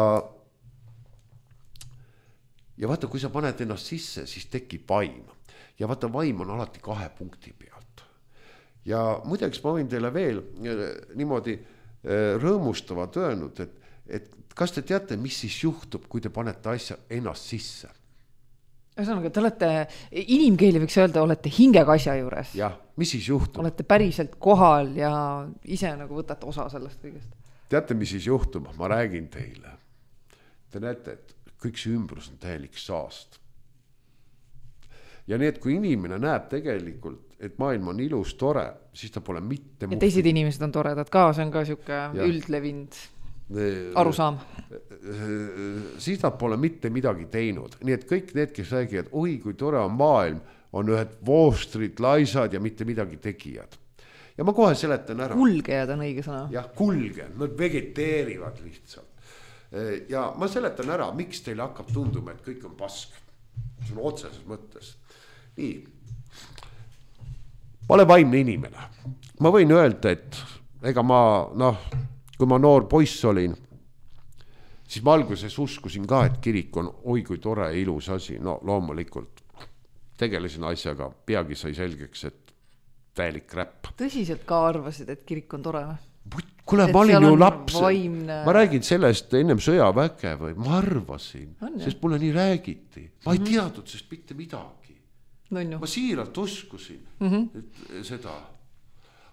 ja vaata, kui sa paned ennast sisse, siis tekib vaim. Ja vaata, vaim on alati kahe punkti pealt. Ja muideks ma võin teile veel niimoodi rõõmustavad öelnud, et, et kas te teate, mis siis juhtub, kui te panete asja ennast sisse? Ühesõnaga, te olete, inimkeeli võiks öelda, olete hingega asja juures. jah, mis siis juhtub? Olete päriselt kohal ja ise nagu võtate osa sellest kõigest. Teate, mis siis juhtub? Ma räägin teile. Te näete, et kõik see ümbrus on täielik saast. Ja nii, et kui inimene näeb tegelikult, et maailm on ilus, tore, siis ta pole mitte... Ja teised inimesed on toredad ka, see on ka siuke üldlevind arusaam. Siis nad pole mitte midagi teinud. Nii et kõik need, kes räägivad, oi, kui tore on maailm, on ühed voostrid, laisad ja mitte midagi tegijad. Ja ma kohe seletan ära. Kulgejad on õige sõna. Jah, kulgejad, nad vegeteerivad lihtsalt. Ja ma seletan ära, miks teile hakkab tunduma, et kõik on pask. See on otseses mõttes. Nii. Ma olen vaimne inimene. Ma võin öelda, et ega ma, noh, kui ma noor poiss olin, siis ma alguses uskusin ka, et kirik on oi kui tore ja ilus asi. No loomulikult tegelesin asjaga, peagi sai selgeks, et täielik räpp. Tõsiselt ka arvasid, et kirik on tore? Kuule, ma olin ju laps. Vaimne... Ma räägin sellest ennem sõjaväge või ma arvasin, on, sest mulle nii räägiti. Ma ei mm -hmm. teadnud sest mitte midagi. No, no. Ma siiralt uskusin mm -hmm. seda.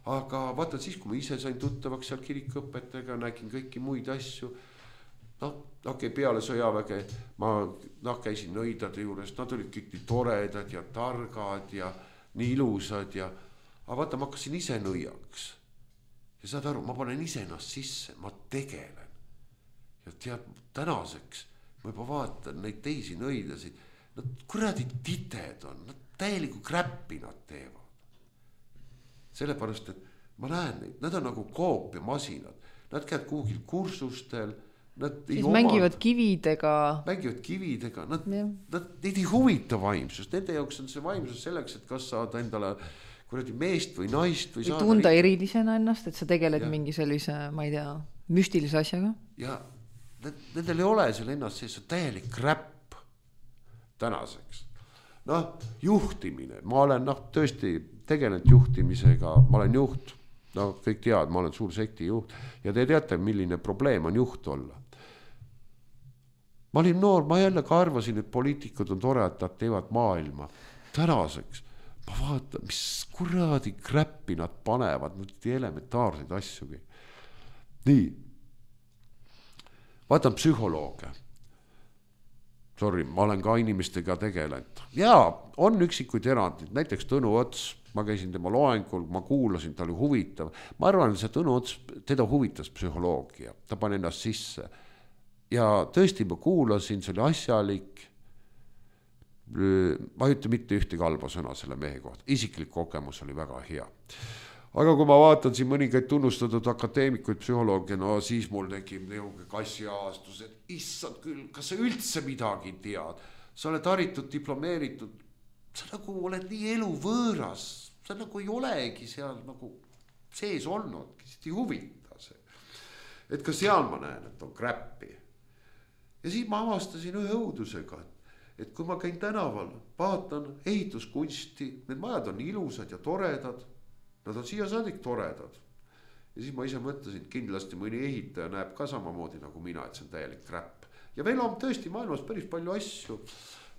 Aga vaata siis, kui ma ise sain tuttavaks seal kirikuõpetega, nägin kõiki muid asju. noh, okei, peale sõjaväge ma noh, käisin nõidade juures, nad olid kõik nii toredad ja targad ja nii ilusad ja aga vaata, ma hakkasin ise nõiaks ja saad aru, ma panen ise ennast sisse, ma tegelen ja tead, tänaseks ma juba vaatan neid teisi nõidasid, nad kuradi tited on, nad täieliku kräppi nad teevad sellepärast, et ma näen neid, nad on nagu koopiamasinad, nad käivad kuhugil kursustel. Nad siis mängivad omad, kividega. Mängivad kividega, nad, nad, neid ei huvita vaimsust, nende jaoks on see vaimsus selleks, et kas saada endale kuradi meest või naist. Või, või tunda riik... erilisena ennast, et sa tegeled ja. Mingi sellise, ma ei tea, müstilise asjaga. Ja nendel ei ole seal ennast sees, see täielik räpp tänaseks. Noh, juhtimine, ma olen noh, tõesti tegelenud juhtimisega, ma olen juht, no kõik teavad, ma olen suur sekti juht ja te teate, milline probleem on juht olla. Ma olin noor, ma jälle ka arvasin, et poliitikud on tore, et nad teevad maailma. Tänaseks ma vaatan, mis kuradi kräppi nad panevad, nad elementaarseid asjugi. Nii, vaatan psühholoogia. Sorry, ma olen ka inimestega tegelenud. Jaa, on üksikuid erandid, näiteks Tõnu Ots, ma käisin tema loengul, ma kuulasin, ta oli huvitav. Ma arvan, et see Tõnu Ots, teda huvitas psühholoogia, ta pani ennast sisse. Ja tõesti ma kuulasin, see oli asjalik, ma ei ütle mitte ühte kalba sõna selle mehe kohta, isiklik kogemus oli väga hea. Aga kui ma vaatan siin mõningaid tunnustatud akadeemikuid psühholoogia, no siis mul tekib neuge kassiaastus, et issand küll, kas sa üldse midagi tead? Sa oled haritud, diplomeeritud, sa nagu oled nii elu võõras, sa nagu ei olegi seal nagu sees olnud, kes ei huvita see. Et ka seal ma näen, et on kräppi. Ja siis ma avastasin ühe õudusega, et kui ma käin tänaval, vaatan ehituskunsti, need majad on ilusad ja toredad, nad on siia saadik toredad. Ja siis ma ise mõtlesin, kindlasti mõni ehitaja näeb ka samamoodi nagu mina, et see on täielik kräpp. Ja veel on tõesti maailmas päris palju asju,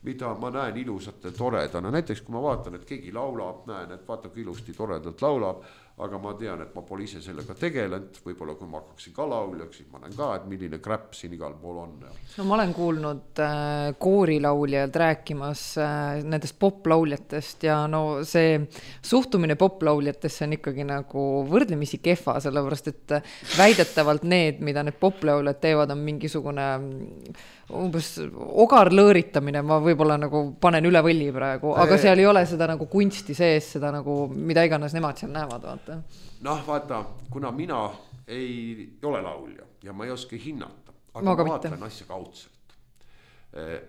mida ma näen ilusate toredana. Näiteks kui ma vaatan, et keegi laulab, näen, et vaata kui ilusti toredalt laulab, aga ma tean, et ma pole ise sellega tegelenud, võib-olla kui ma hakkaksin ka lauljaks, siis ma näen ka, et milline kräpp siin igal pool on. No ma olen kuulnud äh, koorilauljalt rääkimas äh, nendest poplauljatest ja no see suhtumine poplauljatesse on ikkagi nagu võrdlemisi kehva, sellepärast et väidetavalt need, mida need poplauljad teevad, on mingisugune umbes ogarlõõritamine, ma võib-olla nagu panen üle võlli praegu, aga seal ei ole seda nagu kunsti sees, seda nagu, mida iganes nemad seal näevad, vaata. Noh, vaata, kuna mina ei ole laulja ja ma ei oska hinnata, aga ma ma vaatan asja kaudselt.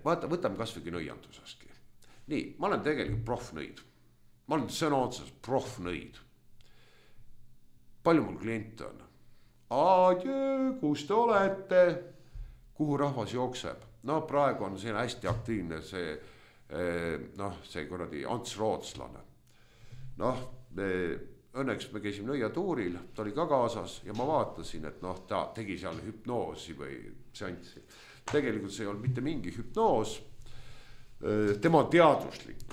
Vaata, võtame kasvõi nõianduseski. Nii, ma olen tegelikult profnõid. Ma olen sõna otsas profnõid. Palju mul kliente on? Adjö, kus te olete? Kuhu rahvas jookseb? No praegu on see hästi aktiivne see, noh, see kuradi Ants Rootslane. Noh, me, õnneks me käisime nõiatuuril, ta oli ka kaasas ja ma vaatasin, et noh, ta tegi seal hüpnoosi või seanssi. Tegelikult see ei olnud mitte mingi hüpnoos. tema on teaduslik.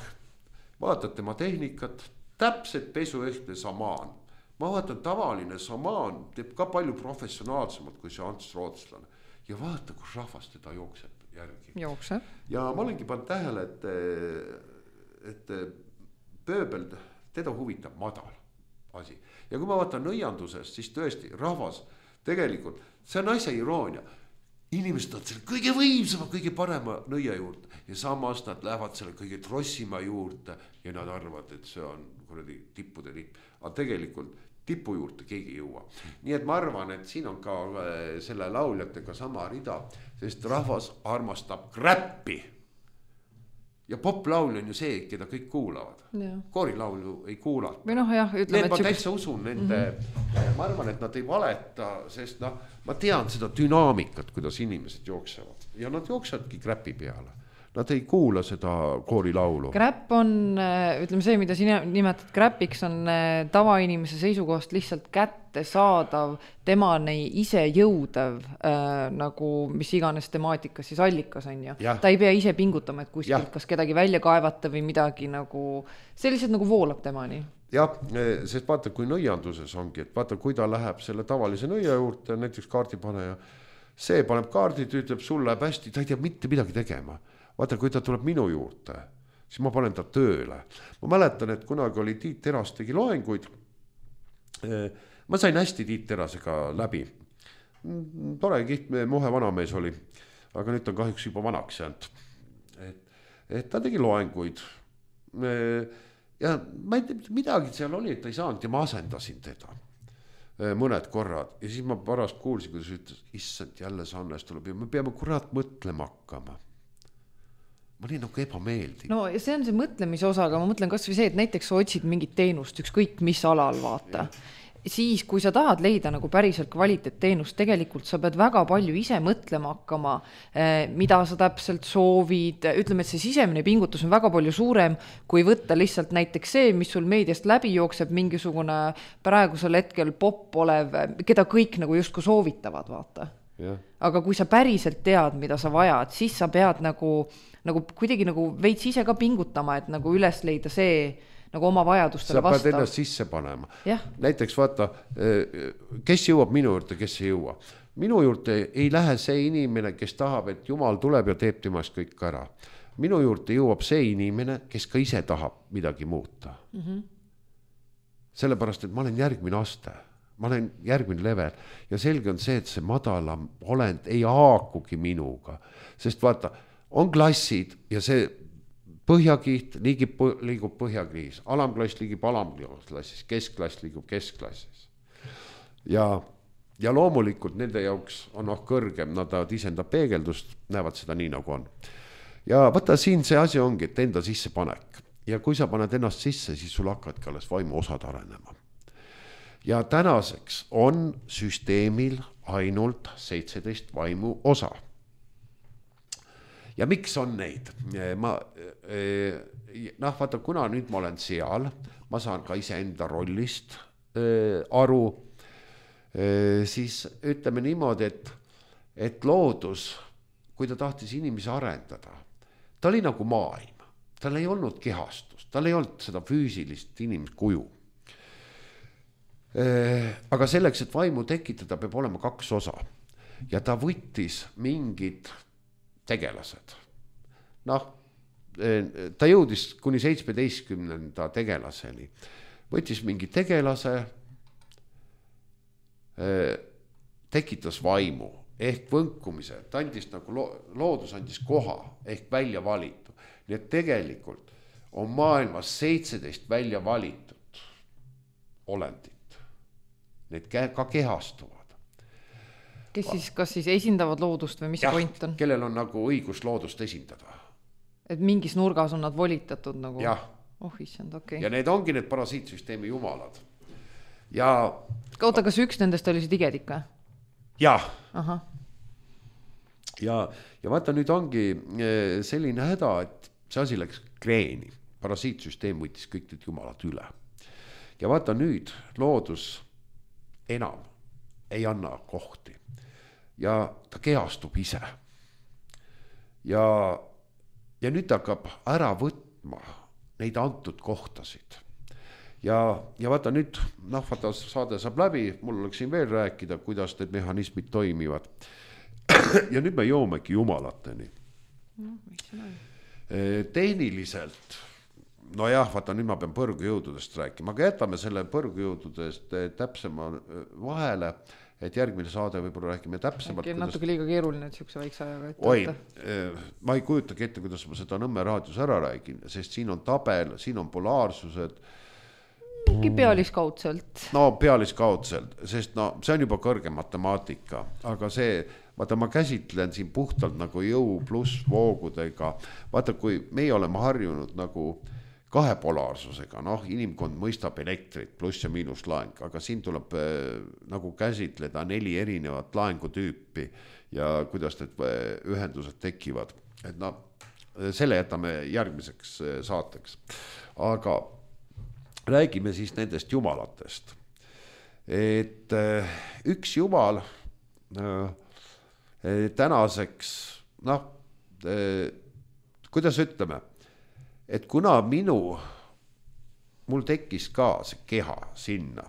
Vaatad tema tehnikat, täpselt pesuehtne samaan. Ma vaatan, tavaline samaan teeb ka palju professionaalsemalt kui see Ants Rootslane. Ja vaata, kus rahvas teda jookseb järgi. Jookseb. Ja ma olengi pannud tähele, et, et pööbel teda huvitab madal asi. Ja kui ma vaatan nõiandusest, siis tõesti rahvas tegelikult, see on asja iroonia. Inimesed on selle kõige võimsama, kõige parema nõia juurde ja samas nad lähevad selle kõige trossima juurde ja nad arvavad, et see on kuradi tippude tipp. Aga tegelikult tipu juurde keegi ei jõua. Nii et ma arvan, et siin on ka selle lauljatega sama rida, sest rahvas armastab kräppi. Ja poplaul on ju see, keda kõik kuulavad. Koorilaulu ei kuulata. Või noh, jah, ütleme, need ma täitsa usun nende, mm-hmm. ma arvan, et nad ei valeta, sest noh, ma tean seda dünaamikat, kuidas inimesed jooksevad ja nad jooksevadki kräpi peale. Nad ei kuula seda koorilaulu. Kräpp on, ütleme see, mida sina nimetad kräpiks, on tavainimese seisukohast lihtsalt kätte saadav, temani ise jõudev, äh, nagu mis iganes temaatikas siis allikas on ju. Ja. Ta ei pea ise pingutama, et kuskilt kas kedagi välja kaevata või midagi nagu, see lihtsalt nagu voolab temani. Jah, sest vaata, kui nõianduses ongi, et vaata, kui ta läheb selle tavalise nõia juurde, näiteks kaardipaneja, see paneb kaardid, ütleb, sul läheb hästi, ta ei tea mitte midagi tegema. Vaata, kui ta tuleb minu juurde, siis ma panen ta tööle. Ma mäletan, et kunagi oli Tiit Teras tegi loenguid. Ma sain hästi Tiit Terasega läbi. Tore kiht, mohe vanamees oli, aga nüüd on kahjuks juba vanaks jäänud. Et, et ta tegi loenguid. Ja ma ei tea, midagi seal oli, et ta ei saanud ja ma asendasin teda mõned korrad. Ja siis ma parast kuulsin, kuidas ütles, issand, jälle see Hannes tuleb ja me peame kurat mõtlema hakkama. Ma olin nagu ebameeldiv. No see on see mõtlemise osa, aga ma mõtlen kas või see, et näiteks sa otsid mingit teenust, ükskõik mis alal vaata. Ja. Siis, kui sa tahad leida nagu päriselt kvaliteetteenust, tegelikult sa pead väga palju ise mõtlema hakkama, mida sa täpselt soovid. Ütleme, et see sisemine pingutus on väga palju suurem, kui võtta lihtsalt näiteks see, mis sul meediast läbi jookseb, mingisugune praegusel hetkel pop olev, keda kõik nagu justkui soovitavad, vaata. Ja. Aga kui sa päriselt tead, mida sa vajad, siis sa pead nagu, nagu kuidagi nagu veits ise ka pingutama, et nagu üles leida see nagu oma vajadustele vastav. Sa pead ennast sisse panema. Ja. Näiteks vaata, kes jõuab minu juurde, kes ei jõua. Minu juurde ei lähe see inimene, kes tahab, et Jumal tuleb ja teeb temast kõik ära. Minu juurde jõuab see inimene, kes ka ise tahab midagi muuta. Mm-hmm. Sellepärast, et ma olen järgmine aste. Ma olen järgmine level ja selge on see, et see madalam olend ei haakugi minuga, sest vaata, on klassid ja see põhjakiht liigib, liigub põhjakriis, alamklass liigib alamklassis, keskklass liigub keskklassis. Ja, ja loomulikult nende jaoks on noh kõrgem, nad isendab peegeldust, näevad seda nii nagu on. Ja võta siin see asi ongi, et enda sisse panek ja kui sa paned ennast sisse, siis sul hakkadki alles vaimu osad arenema. Ja tänaseks on süsteemil ainult seitseteist vaimu osa. Ja miks on neid? Ma, noh, vaata, kuna nüüd ma olen seal, ma saan ka ise enda rollist aru, siis ütleme niimoodi, et, et loodus, kui ta tahtis inimesi arendada, ta oli nagu maailm, tal ei olnud kehastust, tal ei olnud seda füüsilist inimkuju. Aga selleks, et vaimu tekitada, peab olema kaks osa ja ta võttis mingid tegelased. Noh, ta jõudis kuni seitsmeteistkümnenda tegelaseni. Võttis mingi tegelase, tekitas vaimu ehk võnkumise, ta andis nagu loodus andis koha ehk välja valitu. Nii et tegelikult on maailmas seitseteist välja valitud olendid. Need ka kehastuvad. Kes siis, kas siis esindavad loodust või mis ja, point on? Kellel on nagu õigus loodust esindada. Et mingis nurgas on nad volitatud nagu? Jah. Oh, issand, okei. Okay. Ja need ongi need parasiitsüsteemi jumalad. Ja... Oota, kas üks nendest oli see tigedik või? Jah. Aha. Ja, ja vaata, nüüd ongi selline häda, et see asi läks kreeni. Parasiitsüsteem võttis kõik need jumalad üle. Ja vaata nüüd loodus enam ei anna kohti ja ta kehastub ise ja, ja nüüd hakkab ära võtma neid antud kohtasid. Ja, ja vaata nüüd, noh, vaata saade saab läbi, mul oleks siin veel rääkida, kuidas need mehhanismid toimivad. Ja nüüd me joomegi jumalateni. No, miks see on? Tehniliselt, no jah, vaata nüüd ma pean põrgujõududest rääkima, aga jätame selle põrgujõududest täpsema vahele, et järgmine saade võib-olla räägime täpsemalt. Äkki on natuke liiga keeruline, et siukse väikse ajaga ette. Oi, ma ei kujutagi ette, kuidas ma seda Nõmme raadios ära räägin, sest siin on tabel, siin on polaarsused. Mingi pealiskaudselt. No pealiskaudselt, sest no see on juba kõrge matemaatika, aga see, vaata ma käsitlen siin puhtalt nagu jõu pluss voogudega. Vaata, kui meie oleme harjunud nagu kahe polaarsusega, noh, inimkond mõistab elektrit pluss ja miinus laeng, aga siin tuleb äh, nagu käsitleda neli erinevat laengutüüpi ja kuidas need ühendused tekivad. Et no, selle jätame järgmiseks saateks. Aga räägime siis nendest jumalatest. Et äh, üks jumal äh, tänaseks, noh, kuidas ütleme, et kuna minu, mul tekkis ka see keha sinna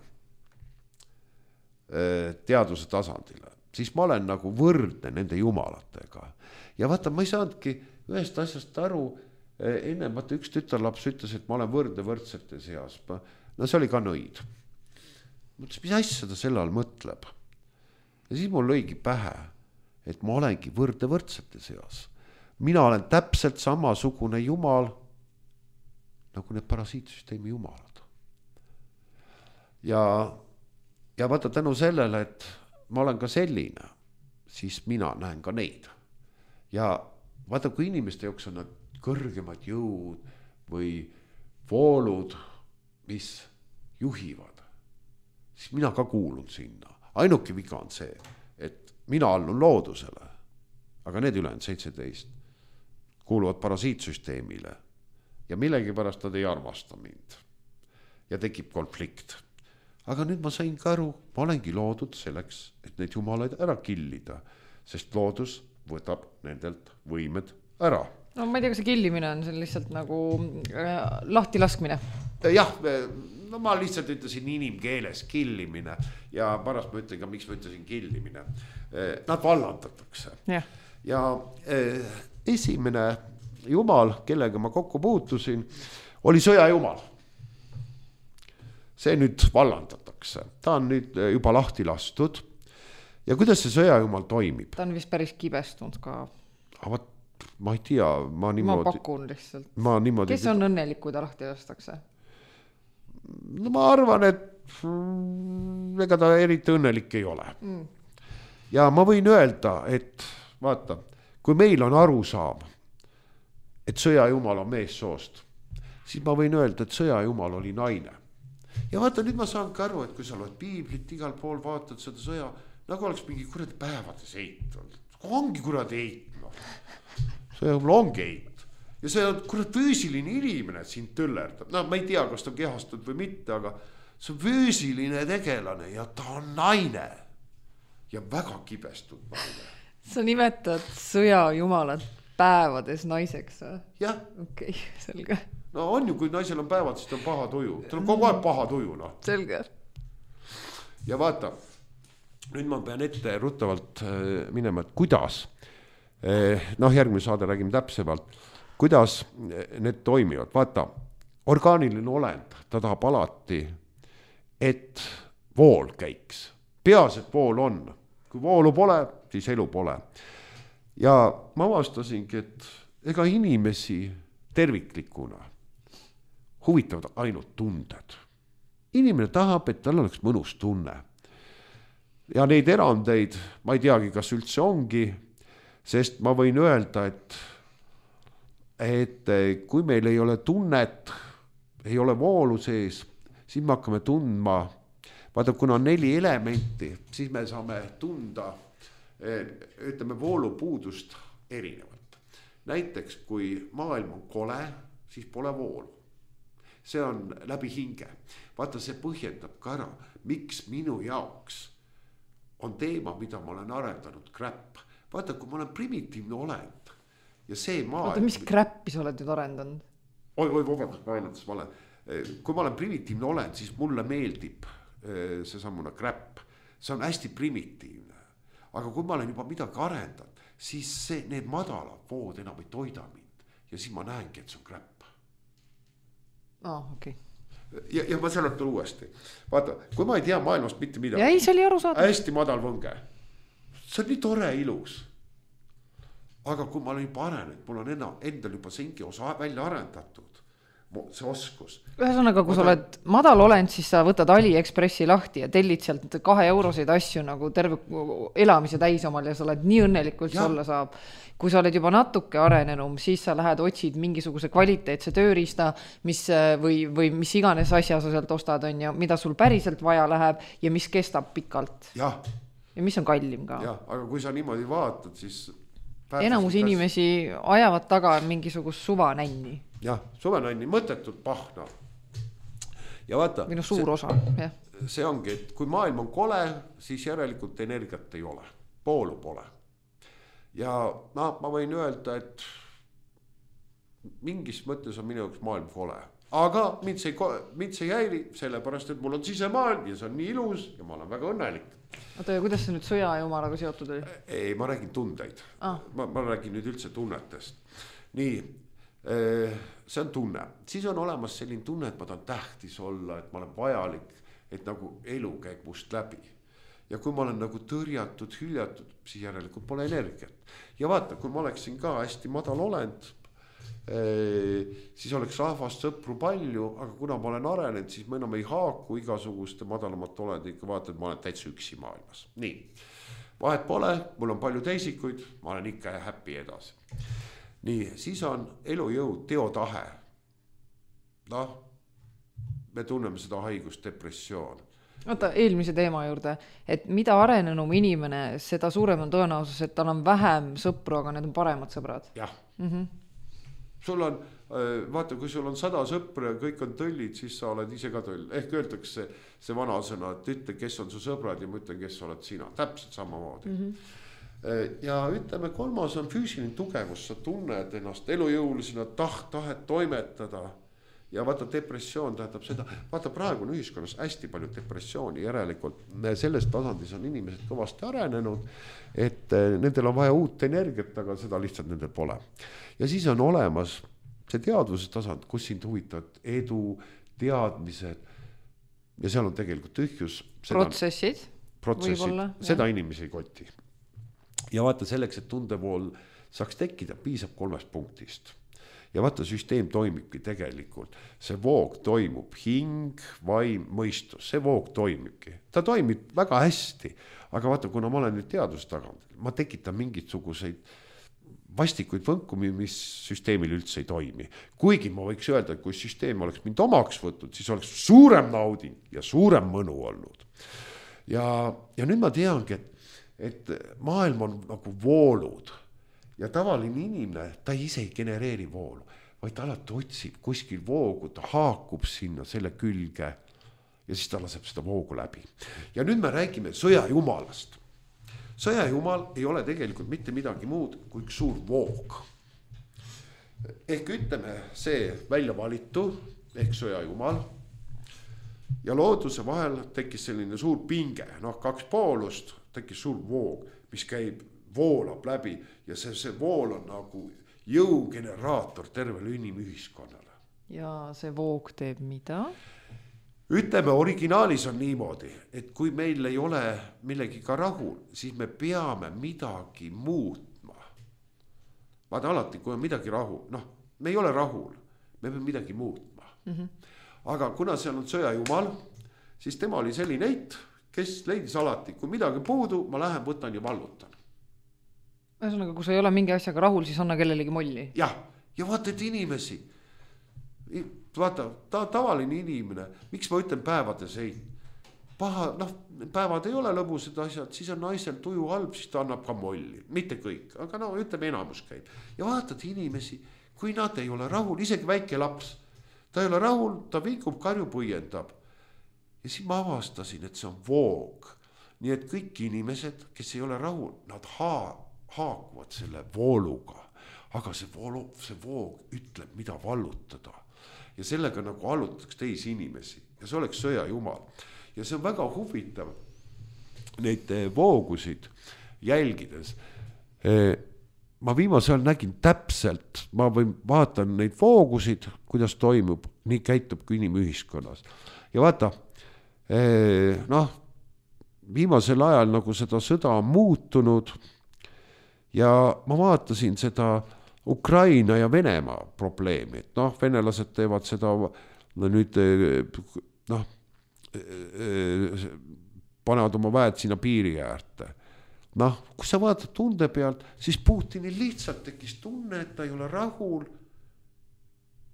teaduse tasandile, siis ma olen nagu võrdne nende jumalatega. Ja vaata, ma ei saanudki ühest asjast aru, enne vaata üks tütarlaps ütles, et ma olen võrdne võrdsete seas. No see oli ka nõid. Mõtles, mis asja ta selle all mõtleb? Ja siis mul lõigi pähe, et ma olengi võrdne võrdsete seas. Mina olen täpselt samasugune jumal, nagu need parasiitsüsteemi jumalad. Ja, ja vaata tänu sellele, et ma olen ka selline, siis mina näen ka neid. Ja vaata, kui inimeste jooksul on nad kõrgemad jõud või voolud, mis juhivad, siis mina ka kuulun sinna. Ainuke viga on see, et mina allun loodusele, aga need ülejäänud seitseteist kuuluvad parasiitsüsteemile ja millegi pärast nad ei armasta mind ja tekib konflikt. Aga nüüd ma sain ka aru, ma olengi loodud selleks, et neid jumalaid ära killida, sest loodus võtab nendelt võimed ära. No ma ei tea, kas see killimine on, see on lihtsalt nagu äh, lahti laskmine. Jah, no ma lihtsalt ütlesin inimkeeles killimine ja pärast ma ütlen ka, miks ma ütlesin killimine. Nad vallandatakse. Ja, ja eh, esimene jumal, kellega ma kokku puutusin, oli sõjajumal. See nüüd vallandatakse. Ta on nüüd juba lahti lastud. Ja kuidas see sõjajumal toimib? Ta on vist päris kibestunud ka. Aga ma ei tea, ma niimoodi... Ma pakun lihtsalt. Ma niimoodi... Kes on õnnelik, kui ta lahti lastakse? No ma arvan, et ega ta eriti õnnelik ei ole. Mm. Ja ma võin öelda, et vaata, kui meil on arusaam, et sõjajumal on meessoost, siis ma võin öelda, et sõjajumal oli naine. Ja vaata, nüüd ma saan ka aru, et kui sa loed piiblit, igal pool vaatad seda sõja, nagu oleks mingi kuradi päevades eit. Ongi kuradi eit. No. Sõjajumal ongi eit. Ja see on kurat füüsiline inimene, et sind töllerdab. No ma ei tea, kas ta on kehastunud või mitte, aga see on füüsiline tegelane ja ta on naine. Ja väga kibestunud naine. Sa nimetad sõjajumalat päevades naiseks, või? Jah. Okei, okay, selge. No on ju, kui naisel on päevad, siis ta on paha tuju. Ta on kogu aeg paha tuju, noh. Selge. Ja vaata, nüüd ma pean ette ruttavalt minema, et kuidas, noh järgmine saade räägime täpsemalt, kuidas need toimivad. Vaata, orgaaniline olend, ta tahab alati, et vool käiks. Peas, et vool on. Kui voolu pole, siis elu pole. Ja ma avastasingi, et ega inimesi terviklikuna huvitavad ainult tunded. Inimene tahab, et tal oleks mõnus tunne. Ja neid erandeid, ma ei teagi, kas üldse ongi, sest ma võin öelda, et et kui meil ei ole tunnet, ei ole voolu sees, siis me hakkame tundma, vaata, kuna on neli elementi, siis me saame tunda, ütleme, voolupuudust erinevalt. Näiteks, kui maailm on kole, siis pole voolu. See on läbi hinge. Vaata, see põhjendab ka ära, miks minu jaoks on teema, mida ma olen arendanud kräpp. Vaata, kui ma olen primitiivne olend, ja see maa. oota, mis kräppi sa oled nüüd arendanud? oi, oi, vabandust, ma ainult, ma olen, kui ma olen primitiivne olend, siis mulle meeldib see sammuna kräpp, see on hästi primitiivne, aga kui ma olen juba midagi arendanud, siis see, need madalad vood enam ei toida mind ja siis ma näengi, et see on kräpp. aa, oh, okei okay. Ja, ja ma seletan uuesti. Vaata, kui ma ei tea maailmast mitte midagi. Ja ei, see oli aru saada. Hästi madal võnge. See on nii tore ilus. Aga kui ma olen juba arenenud, mul on enda, endal juba sengi osa välja arendatud. See oskus. Ühesõnaga, kui sa oled madal olend, siis sa võtad AliExpressi lahti ja tellid sealt kahe euroseid asju nagu terve elamise täis omal ja sa oled nii õnnelikult olla saab. Kui sa oled juba natuke arenenum, siis sa lähed otsid mingisuguse kvaliteetse tööriista, mis, või, või mis iganes asja sa sealt ostad on ja mida sul päriselt vaja läheb ja mis kestab pikalt. Ja, ja mis on kallim ka. Ja, aga kui sa niimoodi vaatad, siis enamus inimesi ajavad taga mingisugust suvanänni. Jah, suvanänni, mõttetult pahna. Ja vaata, minu suur see, osa, jah. See ongi, et kui maailm on kole, siis järelikult energiat ei ole. Poolu pole. Ja no, ma võin öelda, et mingis mõttes on minu jaoks maailm kole. Aga mind see, mind see jäiri, sellepärast, et mul on sisemaailm ja see on nii ilus ja ma olen väga õnnelik. Oota, ja kuidas see nüüd sõja ja jumalaga seotud oli? Ei, ma räägin tundeid. Ah. Ma, ma räägin nüüd üldse tunnetest. Nii, see on tunne. Siis on olemas selline tunne, et ma tahan tähtis olla, et ma olen vajalik, et nagu elu käib must läbi. Ja kui ma olen nagu tõrjatud, hüljatud, siis järelikult pole energiat. Ja vaata, kui ma oleksin ka hästi madal olend, siis oleks rahvast sõpru palju, aga kuna ma olen arenenud, siis ma enam ei haaku igasuguste madalamat olend, ikka vaata, et ma olen täitsa üksi maailmas. Nii, vahet pole, mul on palju teisikuid, ma olen ikka happy edasi. Nii, siis on elujõud, teotahe. Noh, me tunneme seda haigust, depressioon. Oota, eelmise teema juurde, et mida arenenum inimene, seda suurem on tõenäosus, et tal on vähem sõpru, aga need on paremad sõbrad. Jah. Mm-hmm. Sul on, vaata, kui sul on sada sõpra ja kõik on tõllid, siis sa oled ise ka tõll. Ehk öeldakse see vana sõna, et ütle, kes on su sõbrad ja ma ütlen, kes oled sina. Täpselt samamoodi. Mm-hmm. Ja ütleme, kolmas on füüsiline tugevus. Sa tunned ennast elujõulisena, taht, tahet toimetada. Ja vaata, depressioon tähendab seda, vaata, praegu on ühiskonnas hästi palju depressiooni järelikult. Sellest tasandis on inimesed kõvasti arenenud, et nendel on vaja uut energiat, aga seda lihtsalt nendel pole. Ja siis on olemas see teadvuse tasand, kus sind huvitavad edu, teadmised ja seal on tegelikult tühjus. Protsessid. Protsessid, seda inimesi ei koti. Ja vaata, selleks, et tundevool saaks tekkida, piisab kolmest punktist. Ja vaata, süsteem toimibki tegelikult. See voog toimub, hing, vaim, mõistus, see voog toimibki. Ta toimib väga hästi, aga vaata, kuna ma olen nüüd teadust tagant, ma tekitan mingisuguseid vastikuid võnkumi, mis süsteemil üldse ei toimi. Kuigi ma võiks öelda, et kui süsteem oleks mind omaks võtnud, siis oleks suurem nauding ja suurem mõnu olnud. Ja, ja nüüd ma teangi, et, et maailm on nagu voolud. Ja tavaline inimene, ta ise ei genereeri voolu, vaid ta alati otsib kuskil voogu, ta haakub sinna selle külge ja siis ta laseb seda voogu läbi. Ja nüüd me räägime sõjajumalast. Sõjajumal ei ole tegelikult mitte midagi muud kui üks suur voog. Ehk ütleme see välja valitu, ehk sõjajumal, ja looduse vahel tekkis selline suur pinge, noh kaks poolust, tekkis suur voog, mis käib voolab läbi ja see, see vool on nagu jõugeneraator tervele inimühiskonnale. Ja see voog teeb mida? Ütleme, originaalis on niimoodi, et kui meil ei ole millegiga rahul, siis me peame midagi muutma. Vaata alati, kui on midagi rahul, noh, me ei ole rahul, me peame midagi muutma. Mm-hmm. Aga kuna seal on sõjajumal, siis tema oli selline eit, kes leidis alati, kui midagi puudu, ma lähen, võtan ja vallutan. Ühesõnaga, kui sa ei ole mingi asjaga rahul, siis anna kellelegi molli. Jah, ja vaata, et inimesi, vaata, ta tavaline inimene, miks ma ütlen päevades ei, paha, noh, päevad ei ole lõbused asjad, siis on naisel tuju halb, siis ta annab ka molli, mitte kõik, aga no ütleme enamus käib. Ja vaatad inimesi, kui nad ei ole rahul, isegi väike laps, ta ei ole rahul, ta viikub, karju põiendab. Ja siis ma avastasin, et see on voog. Nii et kõik inimesed, kes ei ole rahul, nad haa haakuvad selle vooluga. aga see, voolu, see voog ütleb, mida vallutada. Ja sellega nagu allutatakse teisi inimesi ja see oleks sõja jumal. Ja see on väga huvitav neid voogusid jälgides. Ma viimasel nägin täpselt, ma võin vaatan neid voogusid, kuidas toimub, nii käitub kui inimühiskonnas. Ja vaata, noh, viimasel ajal nagu seda sõda on muutunud ja ma vaatasin seda Ukraina ja Venemaa probleemi, et noh, venelased teevad seda no nüüd, noh, panevad oma väed sinna piiri äärte. Noh, kui sa vaatad tunde pealt, siis Putinil lihtsalt tekkis tunne, et ta ei ole rahul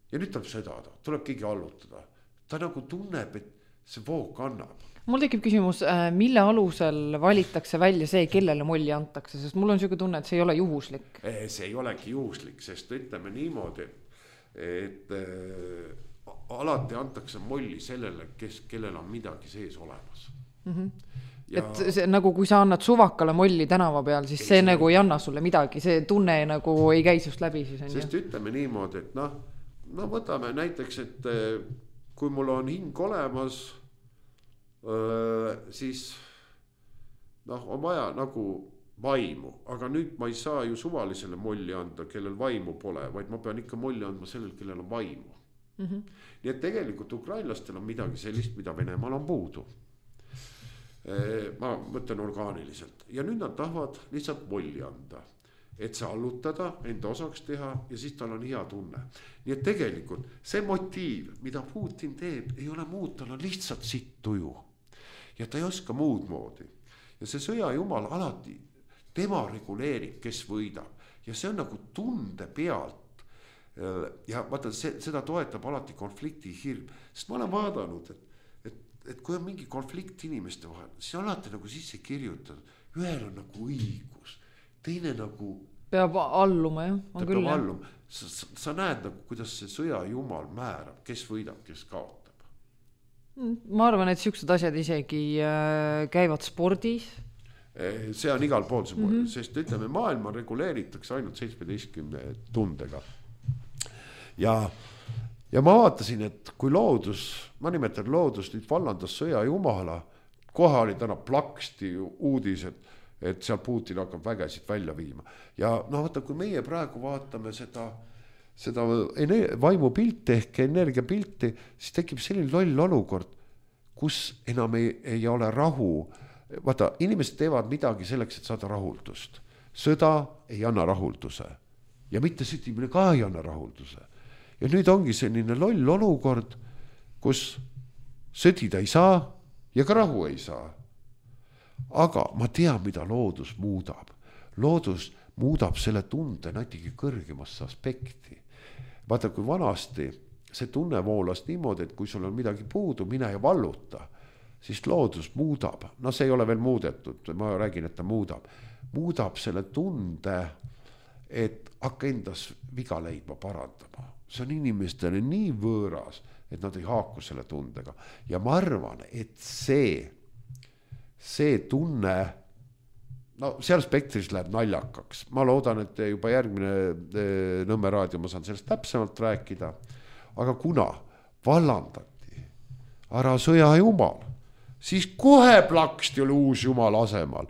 ja nüüd tuleb sõdada, tuleb keegi allutada. Ta nagu tunneb, et see voog kannab. Mul tekib küsimus, mille alusel valitakse välja see, kellele molli antakse, sest mul on selline tunne, et see ei ole juhuslik. See ei olegi juhuslik, sest ütleme niimoodi, et, et alati antakse molli sellele, kes, kellel on midagi sees olemas. Mm-hmm. Ja... Et see, nagu kui sa annad suvakale molli tänava peal, siis see, see nagu ei anna sulle midagi, see tunne nagu ei käi sust läbi. Siis on sest ju? Ütleme niimoodi, et noh, no võtame näiteks, et kui mul on hing olemas, siis noh, on vaja nagu vaimu, aga nüüd ma ei saa ju suvalisele molli anda, kellel vaimu pole, vaid ma pean ikka molli andma sellel, kellel on vaimu. Mm-hmm. Nii et tegelikult ukrainlastel on midagi sellist, mida Venemaal on puudu. Ma mõtlen orgaaniliselt ja nüüd nad tahavad lihtsalt molli anda, et see allutada, enda osaks teha ja siis tal on hea tunne. Nii et tegelikult see motiiv, mida Putin teeb, ei ole muud, tal on lihtsalt sitt tuju. Ja ta ei oska muud moodi. Ja see sõja jumal alati, tema reguleerib, kes võidab. Ja see on nagu tunde pealt. Ja vaata, see, seda toetab alati konflikti hirm. Sest ma olen vaadanud, et, et, et kui on mingi konflikt inimeste vahel, siis alati nagu sisse kirjutatud. Ühel on nagu õigus, teine nagu... Peab alluma, jah? Ta peab alluma. Sa, sa, sa näed nagu, kuidas see sõja jumal määrab, kes võidab, kes kaotab. Ma arvan, et siuksed asjad isegi käivad spordis. See on igal pool see mm-hmm. sest ütleme, maailma reguleeritakse ainult seitsmeteistkümne tundega. Ja, ja ma vaatasin, et kui loodus, ma nimetan loodus, nüüd vallandas sõja jumala, kohe oli täna plaksti uudised, et seal Putin hakkab vägesid välja viima. Ja no vaata, kui meie praegu vaatame seda seda vaimupilti ehk energiapilti, siis tekib selline loll olukord, kus enam ei, ei ole rahu. Vaata, inimesed teevad midagi selleks, et saada rahuldust. Sõda ei anna rahulduse ja mitte sõdimine ka ei anna rahulduse. Ja nüüd ongi selline loll olukord, kus sõdida ei saa ja ka rahu ei saa. Aga ma tean, mida loodus muudab. Loodus muudab selle tunde natuke kõrgemasse aspekti. Vaata, kui vanasti see tunne voolas niimoodi, et kui sul on midagi puudu, mine ja valluta, siis loodus muudab. No see ei ole veel muudetud, ma räägin, et ta muudab. Muudab selle tunde, et hakka endas viga leidma parandama. See on inimestele nii võõras, et nad ei haaku selle tundega. Ja ma arvan, et see, see tunne... No seal spektris läheb naljakaks. Ma loodan, et juba järgmine Nõmme raadio ma saan sellest täpsemalt rääkida. Aga kuna vallandati ära sõja jumal, siis kohe plaksti oli uus jumal asemal.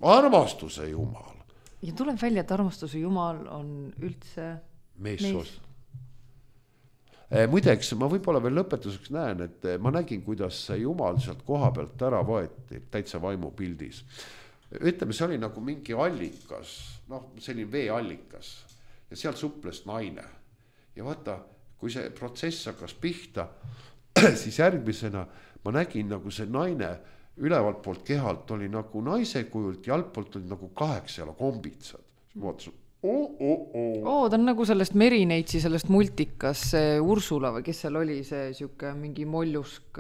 Armastuse jumal. Ja tuleb välja, et armastuse jumal on üldse meessoos. Muideks, ma võib-olla veel lõpetuseks näen, et ma nägin, kuidas see jumal sealt koha pealt ära võeti täitsa vaimu pildis. Ütleme, see oli nagu mingi allikas, noh, selline veeallikas ja seal suples naine. Ja vaata, kui see protsess hakkas pihta, siis järgmisena ma nägin nagu see naine ülevalt poolt kehalt oli nagu naise kujult ja altpoolt oli nagu kaheksa jala kombitsad. Ma vaatasin, oo, oo, oo. Oo, ta on nagu sellest Merineitsi, sellest multikas, see Ursula või kes seal oli, see siuke mingi mollusk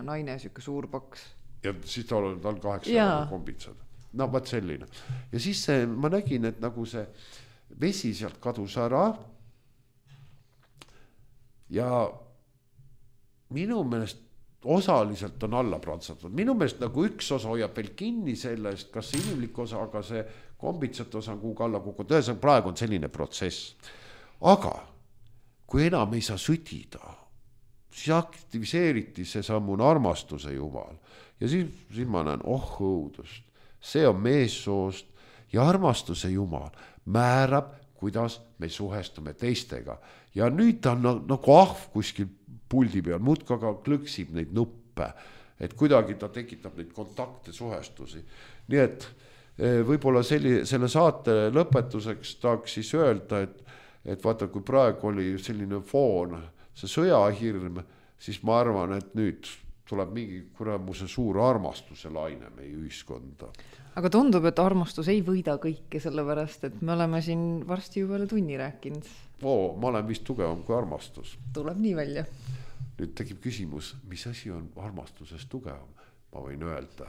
naine, siuke suur paks. Ja siis ta oli tal kaheksa jala kombitsad. No, vaat selline. Ja siis see, ma nägin, et nagu see vesi sealt kadus ära ja minu meelest osaliselt on alla prantsatud. Minu meelest nagu üks osa hoiab veel kinni sellest, kas see inimlik osa, aga see kombitsate osa on kuhugi alla kukkunud. Ühesõnaga praegu on selline protsess. Aga kui enam ei saa sõdida, siis aktiviseeriti see sammune armastuse jumal. Ja siis, siis ma näen, oh õudust, see on meessoost ja armastuse jumal määrab, kuidas me suhestume teistega. Ja nüüd ta on nagu ahv kuskil puldi peal, muudka aga klõksib neid nuppe, et kuidagi ta tekitab neid kontakte, suhestusi. Nii et võib-olla selli, selle saate lõpetuseks tahaks siis öelda, et, et vaata, kui praegu oli selline foon, see sõjahirm, siis ma arvan, et nüüd tuleb mingi kuramuse suur armastuse laine meie ühiskonda. Aga tundub, et armastus ei võida kõike, sellepärast, et me oleme siin varsti juba üle tunni rääkinud. Oo, ma olen vist tugevam kui armastus. Tuleb nii välja. Nüüd tekib küsimus, mis asi on armastusest tugevam? Ma võin öelda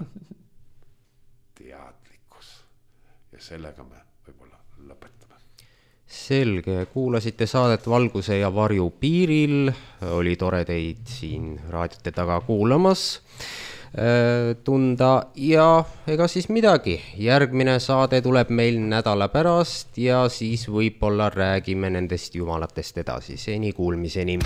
teadlikkus. Ja sellega me võib-olla lõpetame. Selge, kuulasite saadet Valguse ja varju piiril. Oli tore teid siin raadiote taga kuulamas tunda ja ega siis midagi. Järgmine saade tuleb meil nädala pärast ja siis võib-olla räägime nendest jumalatest edasi. Seni kuulmiseni.